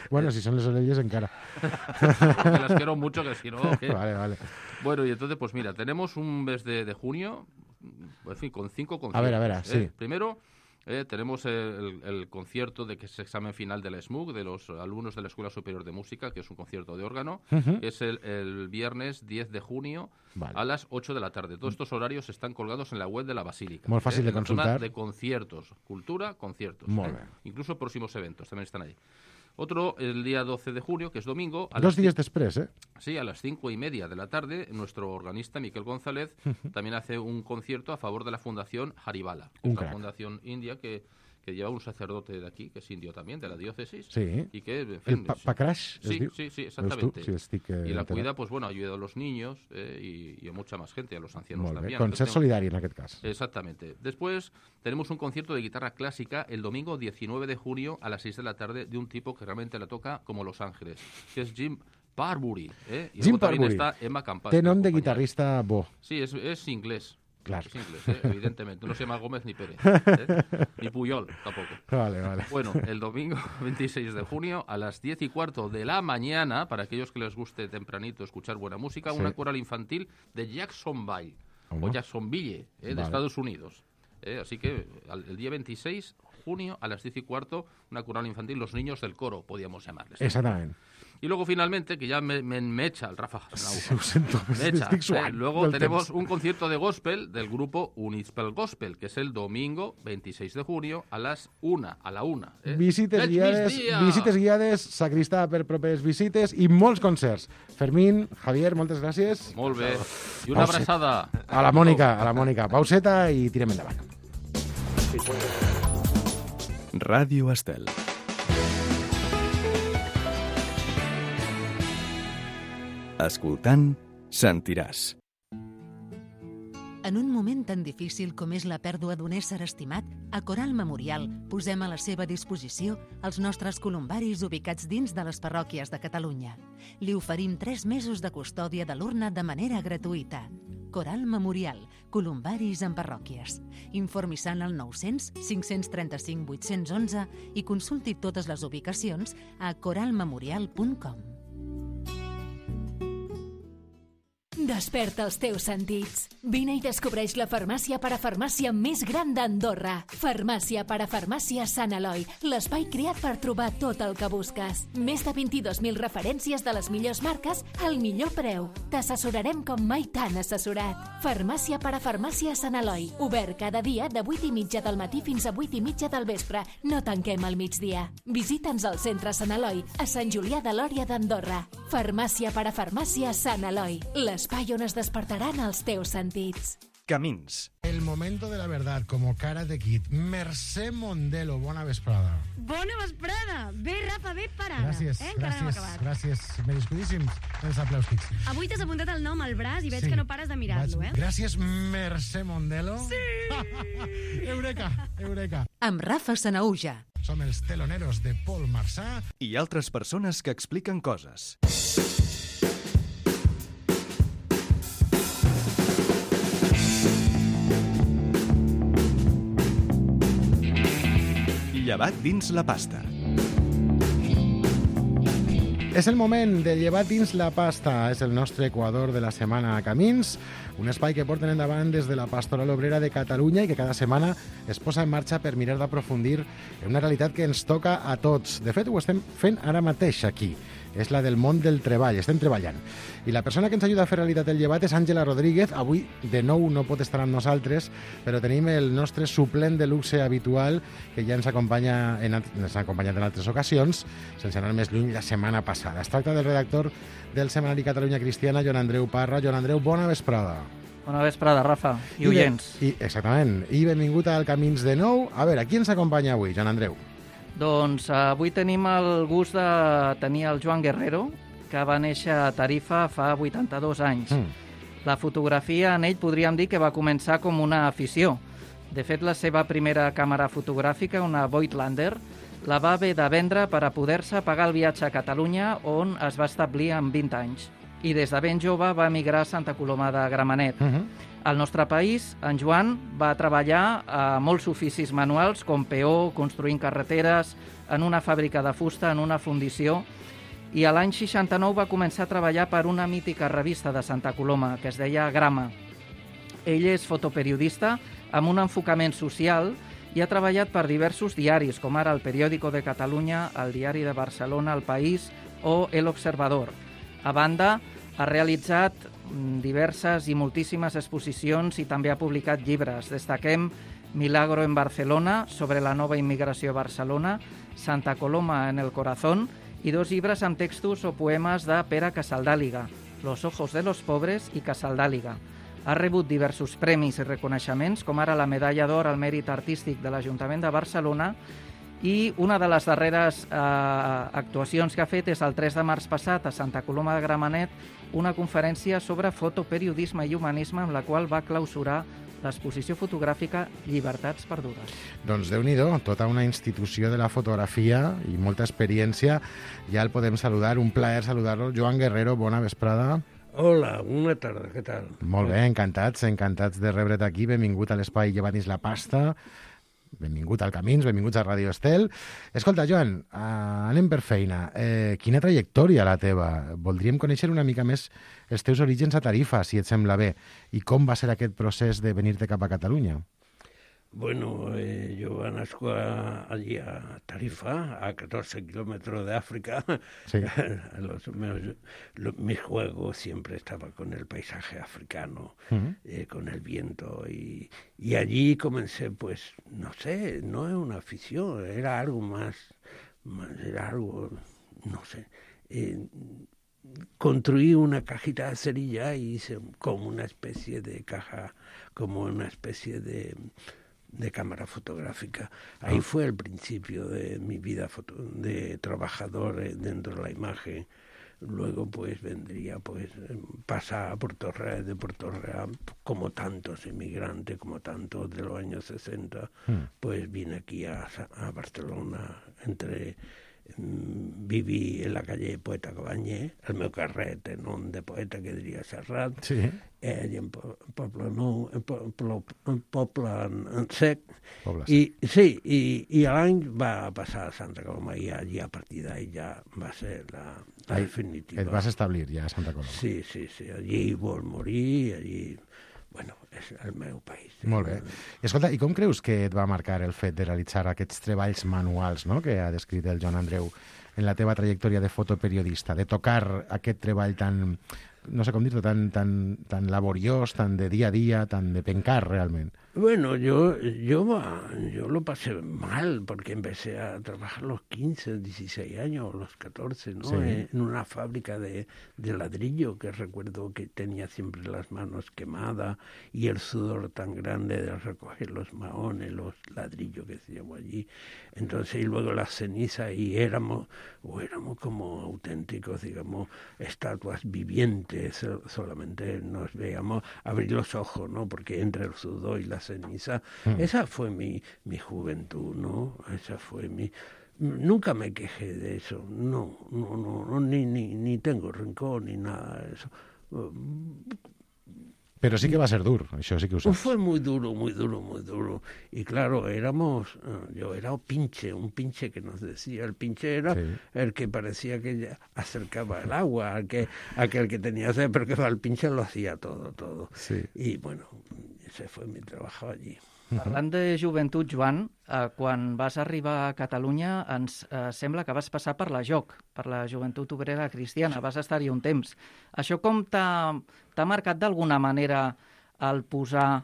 Bueno, si són les orelles encara. Que las quiero mucho, que si no... ¿qué? Vale, vale. Bueno, y entonces, pues mira, tenemos un mes de, de junio, en fin, con cinco conciertos. A ver, a ver, ¿eh? sí. Primero, eh, tenemos el, el concierto de que es examen final de la S M U C, de los alumnos de la Escuela Superior de Música, que es un concierto de órgano. Ujú. Es el, el viernes diez de junio Vale. a las ocho de la tarde. Todos estos horarios están colgados en la web de la Basílica. Molt fàcil de en la zona consultar. de conciertos, cultura, conciertos. Molt ¿eh? bé. Incluso próximos eventos también están ahí. Otro, el día doce de junio, que es domingo. a Dos las dies després, eh? Sí, a las cinco y media de la tarde, nuestro organista Miquel González también hace un concierto a favor de la Fundación Haribala, que Un es una crack. fundación india que, que lleva un sacerdote de aquí, que es indio también, de la diócesis. Sí. Y que, en El fin, pa Pacrash, es sí, diu? sí, sí, Veus tu? exactamente. Si estic, eh, y la enterat. cuida, pues bueno, ayuda a los niños eh, y, y a mucha más gente, a los ancianos Molt bé. también. Concert Entonces, solidari, en aquest cas. Exactamente. Después tenemos un concierto de guitarra clásica el domingo diecinueve de junio a las seis de la tarde de un tipo que realmente la toca como Los Ángeles, que es Jim Parbury. ¿eh? Y Jim luego también Parbury. está Emma Campas. Té que nom de acompaña. guitarrista bo. Sí, es, es inglés. Claro. Es inglés, ¿eh? Evidentemente. No se llama Gómez ni Pérez. ¿eh? Ni Puyol, tampoco. Vale, vale. Bueno, el domingo veintiséis de junio a las diez y cuarto de la mañana, para aquellos que les guste tempranito escuchar buena música, Sí. una coral infantil de Jacksonville, ¿Cómo? o Jacksonville, ¿eh? de Vale. Estados Unidos. ¿eh? Así que al- el día veintiséis de junio a las diez y cuarto, una coral infantil, los niños del coro, podíamos llamarles. Exactament. Y luego finalmente, que ya me, me, me echa el Rafa Sí, ho sento, me echa, estic eh, suant luego del tenemos temps. un concierto de gospel del grupo Unispel Gospel, que es el domingo veintiséis de junio a las una, a la una. Eh? Visites Veig guiades, migdia! visites guiades, sacristà per propers visites i molts concerts. Fermín, Javier, moltes gràcies. Molt bé. I una Pauset. abraçada. A la Mònica, a la Mònica. Pauseta i tirem endavant. Ràdio Estel. Escoltant, sentiràs. En un moment tan difícil com és la pèrdua d'un ésser estimat, a Coral Memorial posem a la seva disposició els nostres columbaris ubicats dins de les parròquies de Catalunya. Li oferim tres mesos de custòdia de l'urna de manera gratuïta. Coral Memorial, columbaris en parròquies. Informi-se al nou-cents cinc-cents trenta-cinc vuit-cents onze i consulti totes les ubicacions a coral memorial punt com. Desperta els teus sentits. Vine i descobreix la farmàcia parafarmàcia més gran d'Andorra. Farmàcia parafarmàcia Sant Eloi, l'espai creat per trobar tot el que busques. Més de vint-i-dos mil referències de les millors marques al millor preu. T'assessorarem com mai t'han assessorat. Farmàcia parafarmàcia Sant Eloi, obert cada dia de vuit i mitja del matí fins a vuit i mitja del vespre. No tanquem al migdia. Visita'ns al centre Sant Eloi, a Sant Julià de Lòria d'Andorra. Farmàcia parafarmàcia Sant Eloi, l'espai on es despertaran els teus sentits. Camins. El momento de la verdad, como cara de kit. Mercè Mondelo, bona vesprada. Bona vesprada! Bé, Rafa, bé parada. Gràcies, eh? Encara no hem gràcies, acabat. gràcies. Merescudíssims els aplausos. Avui t'has apuntat el nom al braç i veig que no pares de mirar-lo, eh? Gràcies, Mercè Mondelo. Sí! Eureka, eureka. Amb Rafa Sanauja. Som els teloneros de Paul Marçà. I altres persones que expliquen coses. Llevat dins la pasta. És el moment de llevar dins la pasta. És el nostre equador de la setmana a Camins, un espai que porten endavant des de la Pastoral Obrera de Catalunya i que cada setmana es posa en marxa per mirar d'aprofundir en una realitat que ens toca a tots. De fet, ho estem fent ara mateix aquí. És la del món del treball. Estem treballant. I la persona que ens ajuda a fer realitat el llevat és Àngela Rodríguez. Avui, de nou, no pot estar amb nosaltres, però tenim el nostre suplent de luxe habitual, que ja ens acompanya en, ens ha acompanyat en altres ocasions, sense anar més lluny, la setmana passada. Es tracta del redactor del setmanari Catalunya Cristiana, Joan Andreu Parra. Joan Andreu, bona vesprada. Bona vesprada, Rafa, i, I oients. I, exactament. I benvingut al Camins de nou. A veure, qui ens acompanya avui, Joan Andreu? Doncs avui tenim el gust de tenir el Joan Guerrero, que va néixer a Tarifa fa vuitanta-dos anys. Mm. La fotografia en ell podríem dir que va començar com una afició. De fet, la seva primera càmera fotogràfica, una Voigtlander, la va haver de vendre per a poder-se pagar el viatge a Catalunya, on es va establir amb vint anys. I des de ben jove va emigrar a Santa Coloma de Gramenet. Uh-huh. Al nostre país, en Joan va treballar a molts oficis manuals, com peó, construint carreteres, en una fàbrica de fusta, en una fundició, i a l'any seixanta-nou va començar a treballar per una mítica revista de Santa Coloma, que es deia Grama. Ell és fotoperiodista amb un enfocament social i ha treballat per diversos diaris, com ara el Periódico de Catalunya, el Diari de Barcelona, El País o El Observador. A banda, ha realitzat diverses i moltíssimes exposicions i també ha publicat llibres. Destaquem Milagro en Barcelona, sobre la nova immigració a Barcelona, Santa Coloma en el corazón, i dos llibres amb textos o poemes de Pere Casaldàliga, Los ojos de los pobres i Casaldàliga. Ha rebut diversos premis i reconeixements, com ara la Medalla d'Or al Mèrit Artístic de l'Ajuntament de Barcelona, i una de les darreres eh, actuacions que ha fet és el tres de març passat a Santa Coloma de Gramenet, una conferència sobre fotoperiodisme i humanisme amb la qual va clausurar l'exposició fotogràfica Llibertats perdudes. Doncs Déu-n'hi-do, tota una institució de la fotografia i molta experiència. Ja el podem saludar, un plaer saludar-lo. Joan Guerrero, bona vesprada. Hola, bona tarda, què tal? Molt bé, encantats, encantats de rebre't aquí. Benvingut a l'espai Llevant la pasta. Benvingut al Camins, benvinguts a Radio Estel. Escolta, Joan, uh, anem per feina. Eh, quina trajectòria la teva? Voldríem conèixer una mica més els teus orígens a Tarifa, si et sembla bé, i com va ser aquest procés de venir-te cap a Catalunya. Bueno, eh, yo nazco allí a Tarifa, a catorce kilómetros de África. Sí. los, meus, los, mis juegos siempre estaba con el paisaje africano, uh-huh. eh, con el viento. Y, y allí comencé, pues, no sé, no es una afición, era algo más, más era algo, no sé. Eh, construí una cajita de cerilla y hice como una especie de caja, como una especie de... de cámara fotográfica. Ahí fue el principio de mi vida foto, de trabajador dentro de la imagen. Luego pues vendría pues pasar a Puerto Real, de Puerto Real, como tantos inmigrantes, como tantos de los años sesenta, mm. pues vine aquí a, a Barcelona, entre viví en la calle Poeta Cabanyé, el meu carret en nom de poeta que diria Serrat, sí. eh, i en Poble Nou, en Poble, en Poble en Sec, Poble i, sí, i, i l'any va passar a Santa Coloma i allí a partir d'ahí ja va ser la, la Ai, definitiva. Et vas establir ja a Santa Coloma. Sí, sí, sí, allí vol morir, allí... Bueno, és el meu país. Molt bé. I escolta, i com creus que et va marcar el fet de realitzar aquests treballs manuals, no?, que ha descrit el Joan Andreu en la teva trajectòria de fotoperiodista, de tocar aquest treball tan, no sé com dir-ho, tan, tan, tan laboriós, tan de dia a dia, tan de pencar realment? Bueno, yo, yo, yo lo pasé mal porque empecé a trabajar a los quince, dieciséis años, los catorce, ¿no? Sí. En una fábrica de, de ladrillo, que recuerdo que tenía siempre las manos quemadas y el sudor tan grande de recoger los maones, los ladrillos que hacíamos allí. Entonces, y luego las cenizas, y éramos, o éramos como auténticos, digamos, estatuas vivientes, solamente nos veíamos abrir los ojos, ¿no? Porque entre el sudor y la ceniza, mm. esa fue mi, mi juventud, ¿no? Esa fue mi... Nunca me quejé de eso, no, no, no, no ni, ni, ni tengo rencor ni nada de eso. Pero sí que va a ser duro, eso sí que usas. Fue muy duro, muy duro, muy duro. Y claro, éramos, yo era un pinche, un pinche que nos decía, el pinche era sí. el que parecía que ya acercaba el agua, al que, aquel que tenía sed, pero que el pinche lo hacía todo, todo. Sí. Y bueno, ese fue mi trabajo allí. Parlant de joventut, Joan, eh, quan vas arribar a Catalunya ens eh, sembla que vas passar per la J O C, per la Joventut Obrera Cristiana, vas estar-hi un temps. Això com t'ha marcat d'alguna manera el posar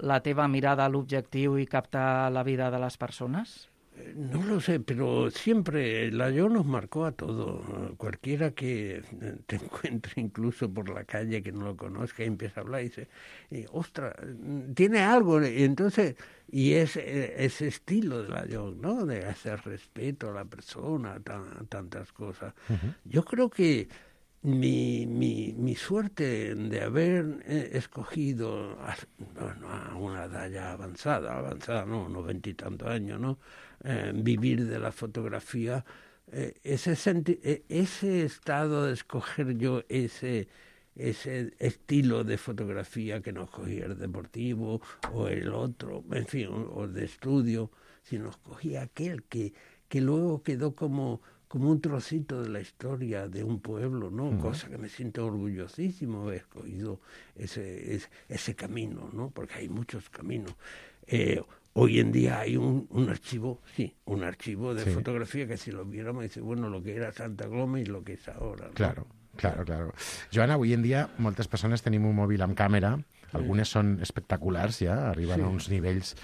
la teva mirada a l'objectiu i captar la vida de les persones? No lo sé, pero siempre la yo nos marcó a todo. Cualquiera que te encuentre incluso por la calle que no lo conozca y empieza a hablar y dice, ostras, tiene algo. Y entonces, y es ese estilo de la yo, ¿no? De hacer respeto a la persona, tan, tantas cosas. Uh-huh. Yo creo que Mi, mi, mi suerte de haber eh, escogido a, bueno, a una edad ya avanzada, avanzada, no, noventa y tantos años, ¿no? Eh, vivir de la fotografía, eh, ese, senti eh, ese estado de escoger yo ese, ese estilo de fotografía que no escogía el deportivo o el otro, en fin, o, o de estudio, sino escogía aquel que, que luego quedó como... como un trocito de la historia de un pueblo, ¿no? Uh-huh. Cosa que me siento orgullosísimo haber escogido ese, ese, ese camino, ¿no? Porque hay muchos caminos. Eh, hoy en día hay un, un archivo, sí, un archivo de sí. fotografía que si lo viéramos dice, bueno, lo que era Santa Coloma y lo que es ahora, ¿no? Claro. Claro, claro. Joan, avui en dia moltes persones tenim un mòbil amb càmera, algunes són espectaculars ja, arriben sí. a uns nivells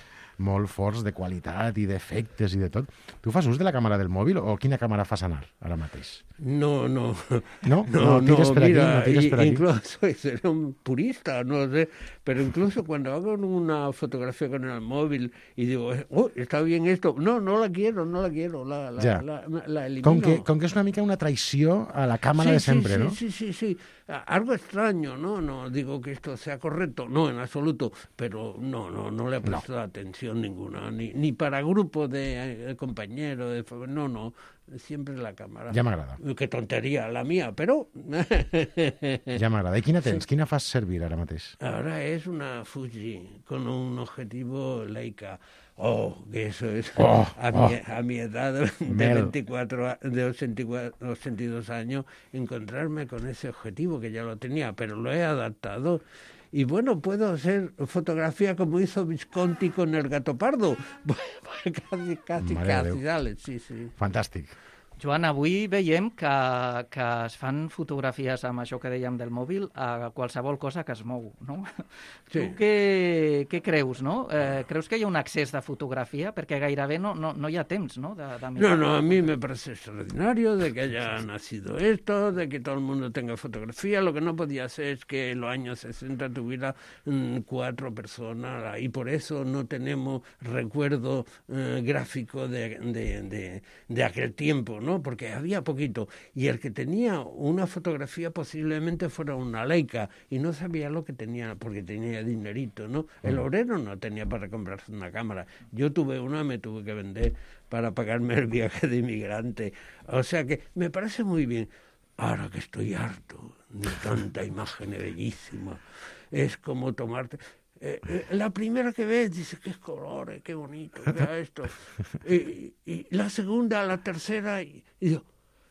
molt forts de qualitat i d'efectes i de tot. Tu fas ús de la càmera del mòbil o quina càmera fas anar ara mateix? No, no. No, no, no tires per mira, aquí, no tires per aquí. Incluso soy un purista, no sé, pero incluso cuando hago una fotografía con el móvil y digo, oh, está bien esto, no, no la quiero, no la quiero, la, la, ja. la, la, la elimino. Com que, com que és una mica una traïció a la càmera sí, de sempre, sí, ¿no? Sí, sí, sí, algo extraño, ¿no? No digo que esto sea correcto, no, en absoluto, pero no, no, no le he prestado no. atención. presión ninguna, ni, ni para grupo de eh, compañeros, de, no, no, siempre la cámara. Ja m'agrada. Qué tonteria la mía, però... Ja m'agrada. I quina tens? Quina fas servir ara mateix? Ahora es una Fuji con un objetivo Leica. Oh, que eso es oh, a, oh. Mi, a mi edad de, veinticuatro, de ochenta y cuatro, ochenta y dos años, encontrarme con ese objetivo que ya lo tenía, pero lo he adaptado. Y bueno, puedo hacer fotografía como hizo Visconti con el gato pardo. casi, casi, casi, dale, sí, sí. Fantàstic. Joan, avui veiem que, que es fan fotografies amb això que dèiem del mòbil a qualsevol cosa que es mou, no? Sí. Tu què, què creus, no? Eh, creus que hi ha un excés de fotografia? Perquè gairebé no, no, no hi ha temps, ¿no? De, de no, no, a mí me parece extraordinario de que haya nacido esto, de que todo el mundo tenga fotografía. Lo que no podía ser es que en los años sesenta tuviera mmm, cuatro personas y por eso no tenemos recuerdo eh, gráfico de, de, de, de aquel tiempo, ¿no? Porque había poquito, y el que tenía una fotografía posiblemente fuera una Leica, y no sabía lo que tenía, porque tenía dinerito, ¿no? El obrero no tenía para comprarse una cámara. Yo tuve una, me tuve que vender para pagarme el viaje de inmigrante. O sea que me parece muy bien. Ahora que estoy harto de tanta imagen bellísima, es como tomarte... Eh, eh, la primera que ves dice qué colores, qué bonito, vea esto. Y, y la segunda, la tercera, y, y,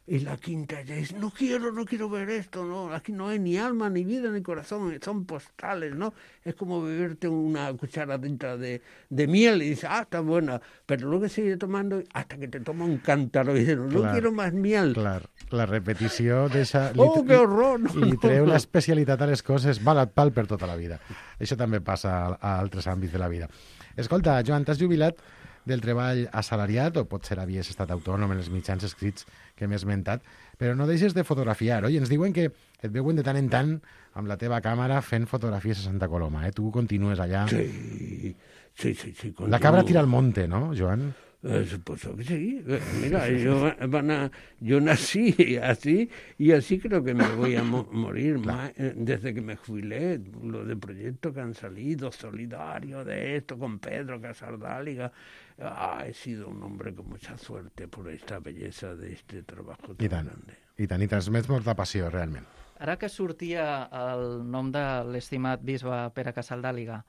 y la quinta ya dice, no quiero, no quiero ver esto, no, aquí no hay ni alma, ni vida, ni corazón, son postales, ¿no? Es como beberte una cucharadita de, de miel y dices, ah, está buena, pero luego sigue tomando hasta que te toma un cántaro y dices, no, no quiero más miel. Clar, la repetició deixa... Oh, que horror! No, li treu no, no. l'especialitat a les coses, val et pal per tota la vida. Això també passa a, a altres àmbits de la vida. Escolta, Joan, t'has jubilat del treball assalariat, o potser havies estat autònom en els mitjans escrits que m'he esmentat, però no deixes de fotografiar, oi? Ens diuen que et veuen de tant en tant amb la teva càmera fent fotografies a Santa Coloma, eh? Tu continues allà. Sí, sí, sí. sí la cabra tira al monte, ¿no, Joan? Eh, supuesto que sí. Mira, yo, van a, yo nací así y así creo que me voy a mo morir más, eh, desde que me jubilé. Lo de proyectos que han salido, solidario de esto, con Pedro Casaldáliga. Ah, he sido un hombre con mucha suerte por esta belleza de este trabajo tan I tant, grande. I tant, i transmets molta passió, realment. Ara que sortia el nom de l'estimat bisbe Pere Casaldàliga,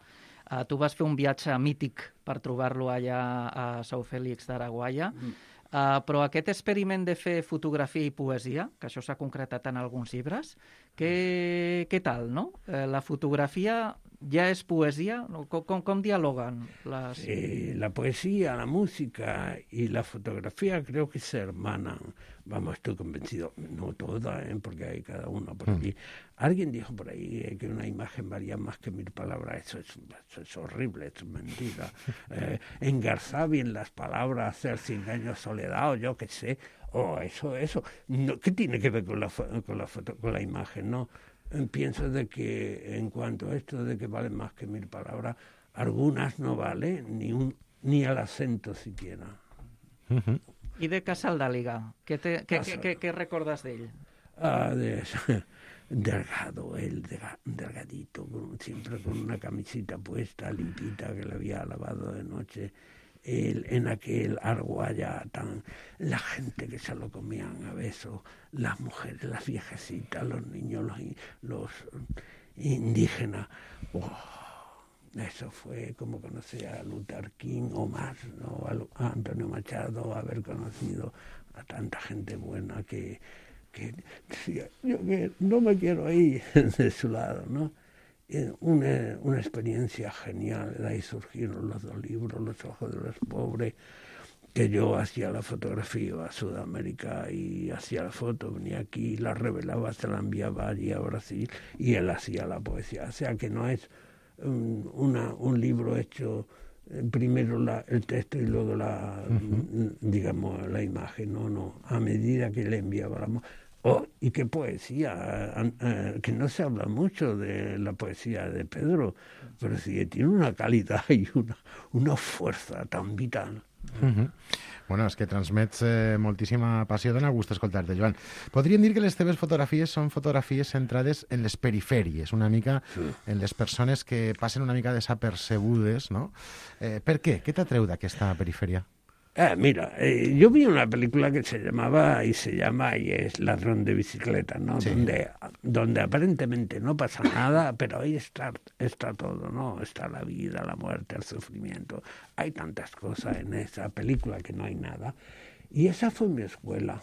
Uh, tu vas fer un viatge mític per trobar-lo allà a São Félix d'Araguaia, mm. uh, però aquest experiment de fer fotografia i poesia, que això s'ha concretat en alguns llibres, què, què tal, no? Uh, la fotografia ja és poesia? Com, com, com dialoguen les... Sí, la poesía, la música y la fotografía creo que se hermanan. Vamos, estoy convencido, no todas, ¿eh? Porque hay cada una por allí. Mm. Alguien dijo por ahí eh, que una imagen valía más que mil palabras. Eso es, eso es horrible, eso es mentira. Eh, engarzar bien las palabras, hacer cien años soledad, o yo qué sé. Oh, eso, eso. No, ¿qué tiene que ver con la, con la foto, con la imagen? No. Pienso de que en cuanto a esto de que valen más que mil palabras, algunas no valen ni un ni al acento siquiera. Uh-huh. I de Casaldàliga, què, te, què, què, què, què recordes d'ell? Ah, de, delgado, él delgadito, con, siempre con una camisita puesta, limpita, que le había lavado de noche. El, en aquel Arguaya tan... La gente que se lo comían a besos, las mujeres, las viejecitas, los niños, los, los indígenas. Oh, eso fue como conocer a Luther King o más, ¿no? A, a Antonio Machado, haber conocido a tanta gente buena que, que decía, yo que no me quiero ir de su lado, ¿no? Una, una experiencia genial, de ahí surgieron los dos libros, Los ojos de los pobres, que yo hacía la fotografía, iba a Sudamérica y hacía la foto, venía aquí, la revelaba, se la enviaba allí a Brasil y él hacía la poesía. O sea que no es un, una, un libro hecho primero la, el texto y luego la, uh-huh. digamos, la imagen, no, no, a medida que le enviaba la Oh, y qué poesía, eh, eh, que no se habla mucho de la poesía de Pedro, pero sí que tiene una calidad y una, una fuerza tan vital. Uh-huh. Bueno, és que transmets eh, moltíssima passió, dona gust escoltar-te, Joan. Podríem dir que les teves fotografies són fotografies centrades en les perifèries, una mica sí. en les persones que passen una mica desapercebudes, ¿no? Eh, per què? Què t'atreu d'aquesta perifèria? Ah, mira, eh, yo vi una película que se llamaba y se llama y es Ladrón de bicicleta, ¿no? Sí. Donde, donde aparentemente no pasa nada, pero ahí está, está todo, ¿no? Está la vida, la muerte, el sufrimiento. Hay tantas cosas en esa película que no hay nada. Y esa fue mi escuela.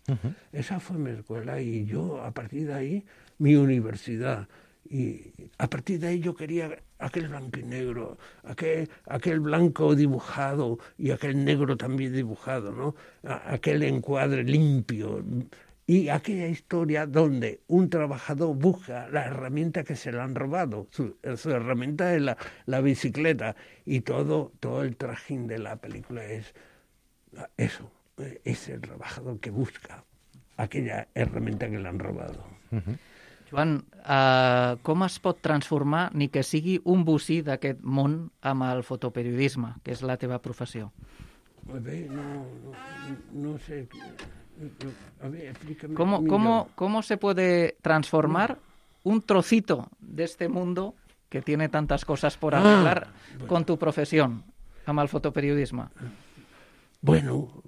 Uh-huh. Esa fue mi escuela y yo a partir de ahí, mi universidad. Y a partir de ahí yo quería aquel blanco y negro, aquel, aquel blanco dibujado y aquel negro también dibujado, ¿no? Aquel encuadre limpio y aquella historia donde un trabajador busca la herramienta que se le han robado, su, su herramienta es la, la bicicleta y todo, todo el trajín de la película es eso, es el trabajador que busca aquella herramienta que le han robado. Uh-huh. Joan, uh, com es pot transformar ni que sigui un bocí d'aquest món amb el fotoperiodisme, que és la teva professió? A ver, no, no, no sé. A ver, explícame. ¿Cómo, cómo, ¿Cómo se puede transformar un trocito de este mundo que tiene tantas cosas por arreglar ah, bueno. con tu profesión, amb el fotoperiodisme? Bueno,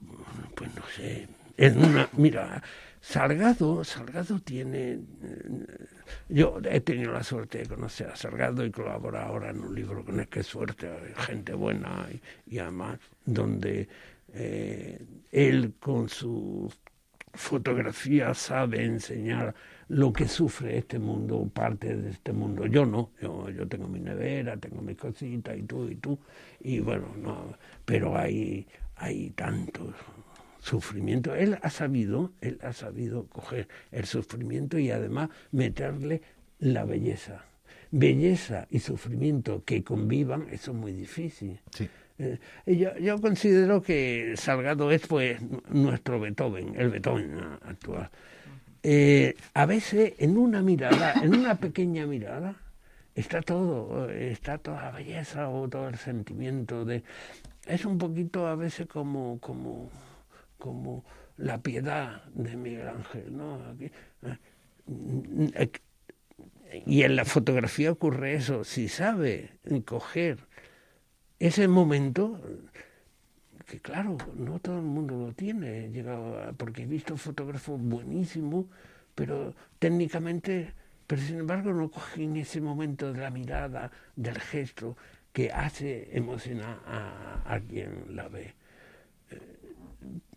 pues no sé. En una, mira... Salgado, Salgado tiene... Yo he tenido la suerte de conocer a Salgado y colaborar ahora en un libro con él, qué suerte, gente buena y, y además donde eh, él con su fotografía sabe enseñar lo que sufre este mundo, parte de este mundo. Yo no, yo, yo tengo mi nevera, tengo mis cositas y tú y tú, y bueno, no, pero hay, hay tantos... sufrimiento. Él ha sabido, él ha sabido coger el sufrimiento y además meterle la belleza. Belleza y sufrimiento que convivan, eso es muy difícil. Sí. Eh, yo, yo considero que Salgado es pues nuestro Beethoven, el Beethoven actual. Eh, a veces en una mirada, en una pequeña mirada, está todo, está toda la belleza o todo el sentimiento de... Es un poquito a veces como... como como la piedad de Miguel Ángel, ¿no? Aquí, eh, y en la fotografía ocurre eso, si sabe coger ese momento, que claro, no todo el mundo lo tiene, he llegado a, porque he visto fotógrafos buenísimos, pero técnicamente, pero sin embargo no cogen ese momento de la mirada, del gesto, que hace emocionar a, a quien la ve.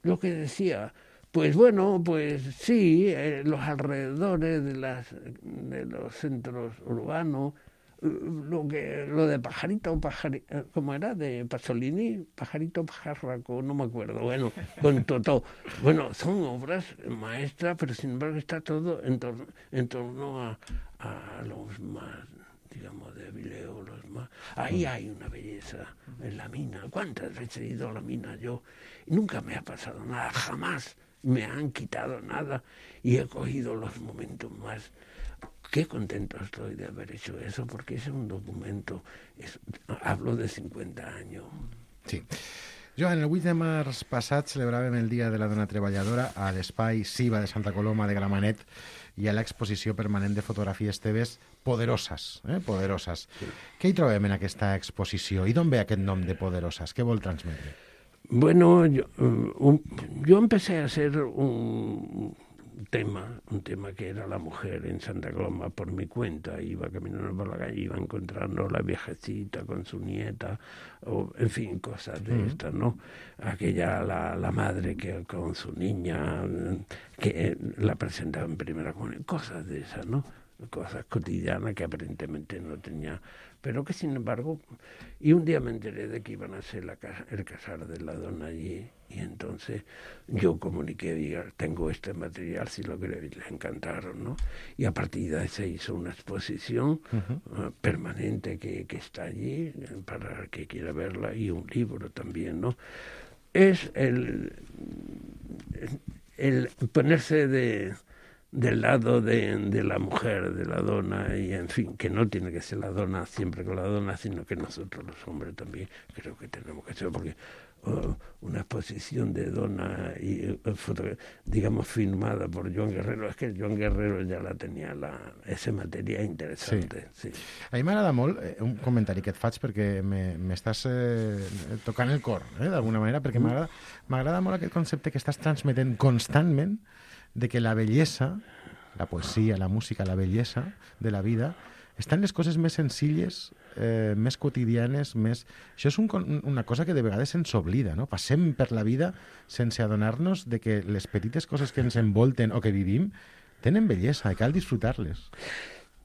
Lo que decía, pues bueno, pues sí, eh, los alrededores de, las, de los centros urbanos, lo que lo de Pajarito, pajarito ¿cómo era? De Pasolini, Pajarito Pajarraco, no me acuerdo, bueno, con Totó. Bueno, son obras maestras, pero sin embargo está todo en torno, en torno a, a los más, digamos, débiles o los más... Ahí hay una belleza en la mina. ¿Cuántas veces he ido a la mina yo? Y nunca me ha pasado nada, jamás me han quitado nada y he cogido los momentos más... Qué contento estoy de haber hecho eso, porque ese es un documento, es, hablo de cincuenta años. Sí. Joan, el vuit de març passat celebràvem el Dia de la Dona Treballadora a l'espai Siva de Santa Coloma de Gramenet i a l'exposició permanent de fotografies teves Poderosas, eh? Poderosas. Sí. Què hi trobem en aquesta exposició? I d'on ve aquest nom de Poderosas? Què vol transmetre? Bueno, yo, um, yo empecé a hacer un tema, un tema que era la mujer en Santa Coloma por mi cuenta. Iba caminando por la calle, iba encontrando a la viejecita con su nieta, o en fin, cosas de uh-huh. estas, ¿no? Aquella, la, la madre que con su niña, que la presentaba en primera comunión, cosas de esas, ¿no? Cosas cotidianas que aparentemente no tenía, pero que sin embargo, y un día me enteré de que iban a hacer la casa, el casar de la dona allí, y entonces yo comuniqué, diga, tengo este material, si lo que les encantaron, ¿no? Y a partir de ahí se hizo una exposición uh-huh. uh, permanente que, que está allí, para el que quiera verla, y un libro también, ¿no? Es el, el ponerse de... del lado de, de la mujer, de la dona, y en fin, que no tiene que ser la dona siempre con la dona, sino que nosotros los hombres también creo que tenemos que ser, porque uh, una exposición de dona, y uh, foto, digamos, filmada por Joan Guerrero, es que Joan Guerrero ja la tenia, la, esa matèria interessant. Sí. Sí. A mi m'agrada molt, eh, un comentari que et faig perquè m'estàs eh, tocant el cor, eh, d'alguna manera, perquè m'agrada m'agrada molt aquest concepte que estàs transmetent constantment de que la bellesa, la poesia, la música, la bellesa de la vida, estan les coses més senzilles, eh, més quotidianes, més... Això és un, una cosa que de vegades se'ns oblida, no? Passem per la vida sense adonar-nos de que les petites coses que ens envolten o que vivim tenen bellesa i cal disfrutar-les.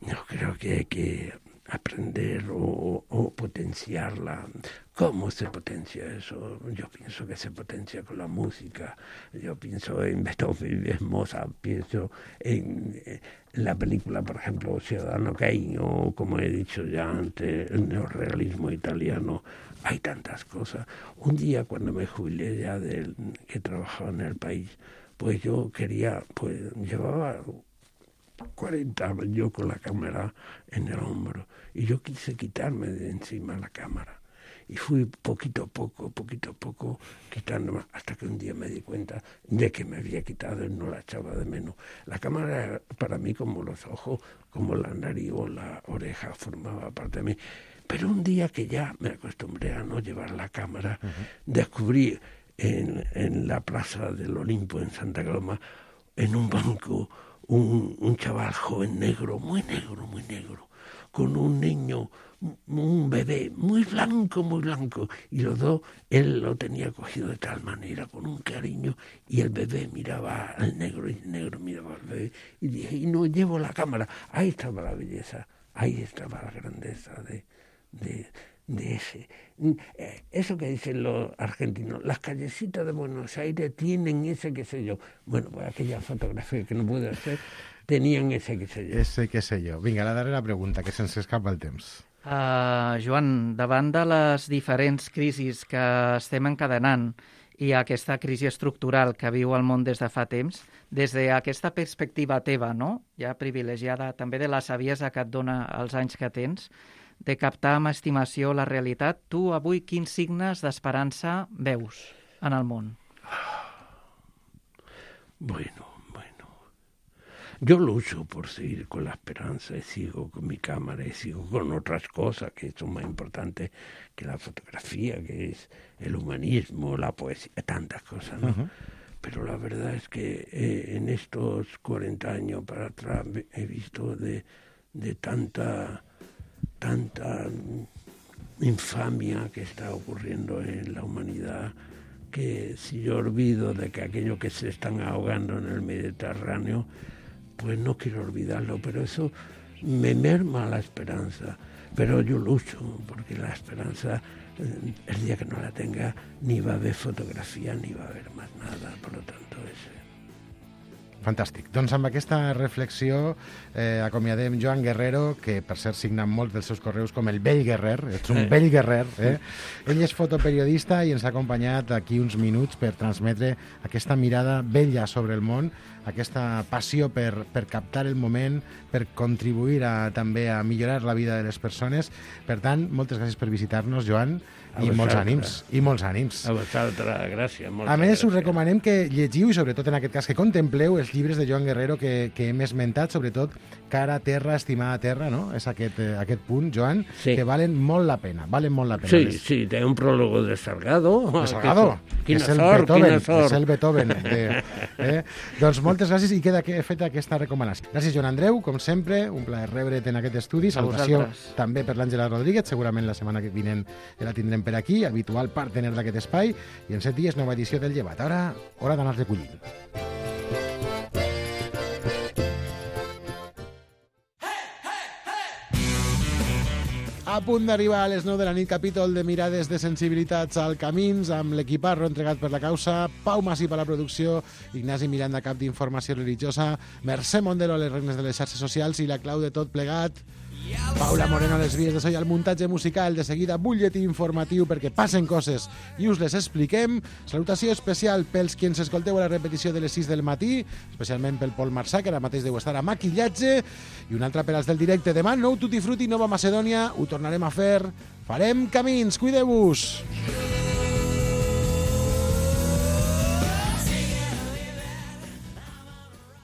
Yo creo que hay que aprender o, o potenciarla. ¿Cómo se potencia eso? Yo pienso que se potencia con la música. Yo pienso en Beethoven, en Mozart, pienso en, en la película, por ejemplo, Ciudadano Kane, o como he dicho ya antes, el neorrealismo italiano. Hay tantas cosas. Un día cuando me jubilé ya del que trabajaba en El País, pues yo quería, pues llevaba cuarenta años yo con la cámara en el hombro y yo quise quitarme de encima la cámara y fui poquito a poco, poquito a poco quitándome hasta que un día me di cuenta de que me había quitado y no la echaba de menos. La cámara era para mí como los ojos, como la nariz o la oreja formaba parte de mí. Pero un día que ya me acostumbré a no llevar la cámara, uh-huh. descubrí en, en la plaza del Olimpo en Santa Coloma, en un banco, Un, un chaval joven negro, muy negro, muy negro, con un niño, un bebé muy blanco, muy blanco, y los dos, él lo tenía cogido de tal manera, con un cariño, y el bebé miraba al negro, y el negro miraba al bebé, y dije, y no llevo la cámara. Ahí estaba la belleza, ahí estaba la grandeza de, de, de ese. Eso que dicen los argentinos, las callecitas de Buenos Aires tienen ese qué sé yo. Bueno, pues aquella fotografía que no pude hacer, tenían ese qué sé yo. Ese qué sé yo. Vinga, la darrera pregunta, que se'ns escapa el temps. Uh, Joan, davant de les diferents crisis que estem encadenant i aquesta crisi estructural que viu el món des de fa temps, des d'aquesta perspectiva teva, no? Ja privilegiada, també de la saviesa que et dona els anys que tens, de captar amb estimació la realitat, tu avui quins signes d'esperança veus en el món? Bueno, bueno. Yo lucho por seguir con la esperanza y sigo con mi cámara y sigo con otras cosas que son más importantes que la fotografía, que es el humanismo, la poesía, tantas cosas, ¿no? Uh-huh. Pero la verdad es que eh, en estos cuarenta años para atrás he visto de, de tanta... tanta infamia que está ocurriendo en la humanidad, que si yo olvido de que aquellos que se están ahogando en el Mediterráneo, pues no quiero olvidarlo, pero eso me merma la esperanza. Pero yo lucho, porque la esperanza, el día que no la tenga, ni va a haver fotografia, ni va a haver más nada, por lo tanto es... Fantàstic. Doncs amb aquesta reflexió eh, acomiadem Joan Guerrero, que per cert signa molts dels seus correus com el vell guerrer, ets un vell guerrer. Eh? Ell és fotoperiodista i ens ha acompanyat aquí uns minuts per transmetre aquesta mirada vella sobre el món, aquesta passió per, per captar el moment, per contribuir a, també a millorar la vida de les persones. Per tant, moltes gràcies per visitar-nos, Joan, a i vosaltres. molts ànims. I molts ànims. A vosaltres, gràcies. A més, us recomanem que llegiu, i sobretot en aquest cas que contempleu, els llibres de Joan Guerrero que, que hem esmentat, sobretot Cara a terra, estimada terra, no? És aquest, eh, aquest punt, Joan, sí. que valen molt la pena, valen molt la pena. Sí, les... sí, té un prólogo de Salgado. De Salgado, que és el sort, Beethoven, és el Beethoven. De, eh? Doncs moltes gràcies i queda feta aquesta recomanació. Gràcies, Joan Andreu, com sempre, un plaer rebre't en aquest estudi. Salutació també per l'Àngela Rodríguez, segurament la setmana que vinent la tindrem per aquí, habitual partner d'aquest espai, i en set dies nova edició del Llevat. Ara, hora d'anar recollint. A punt d'arribar a les nou de la nit, capítol de Mirades de Sensibilitats al Camins, amb l'equiparro entregat per la causa, Pau Masip a la producció, Ignasi Miranda, cap d'Informació Religiosa, Mercè Mondelo a les regnes de les xarxes socials i la clau de tot plegat... Paula Moreno a les vies de so i al muntatge musical. De seguida, butlletí informatiu perquè passen coses i us les expliquem. Salutació especial pels qui ens escolteu a la repetició de les sis del matí, especialment pel Pol Marçà, que ara mateix deu estar a maquillatge, i una altra per als del directe. Demà, nou Tutti Frutti, Nova Macedònia, ho tornarem a fer. Farem camins, cuideu-vos!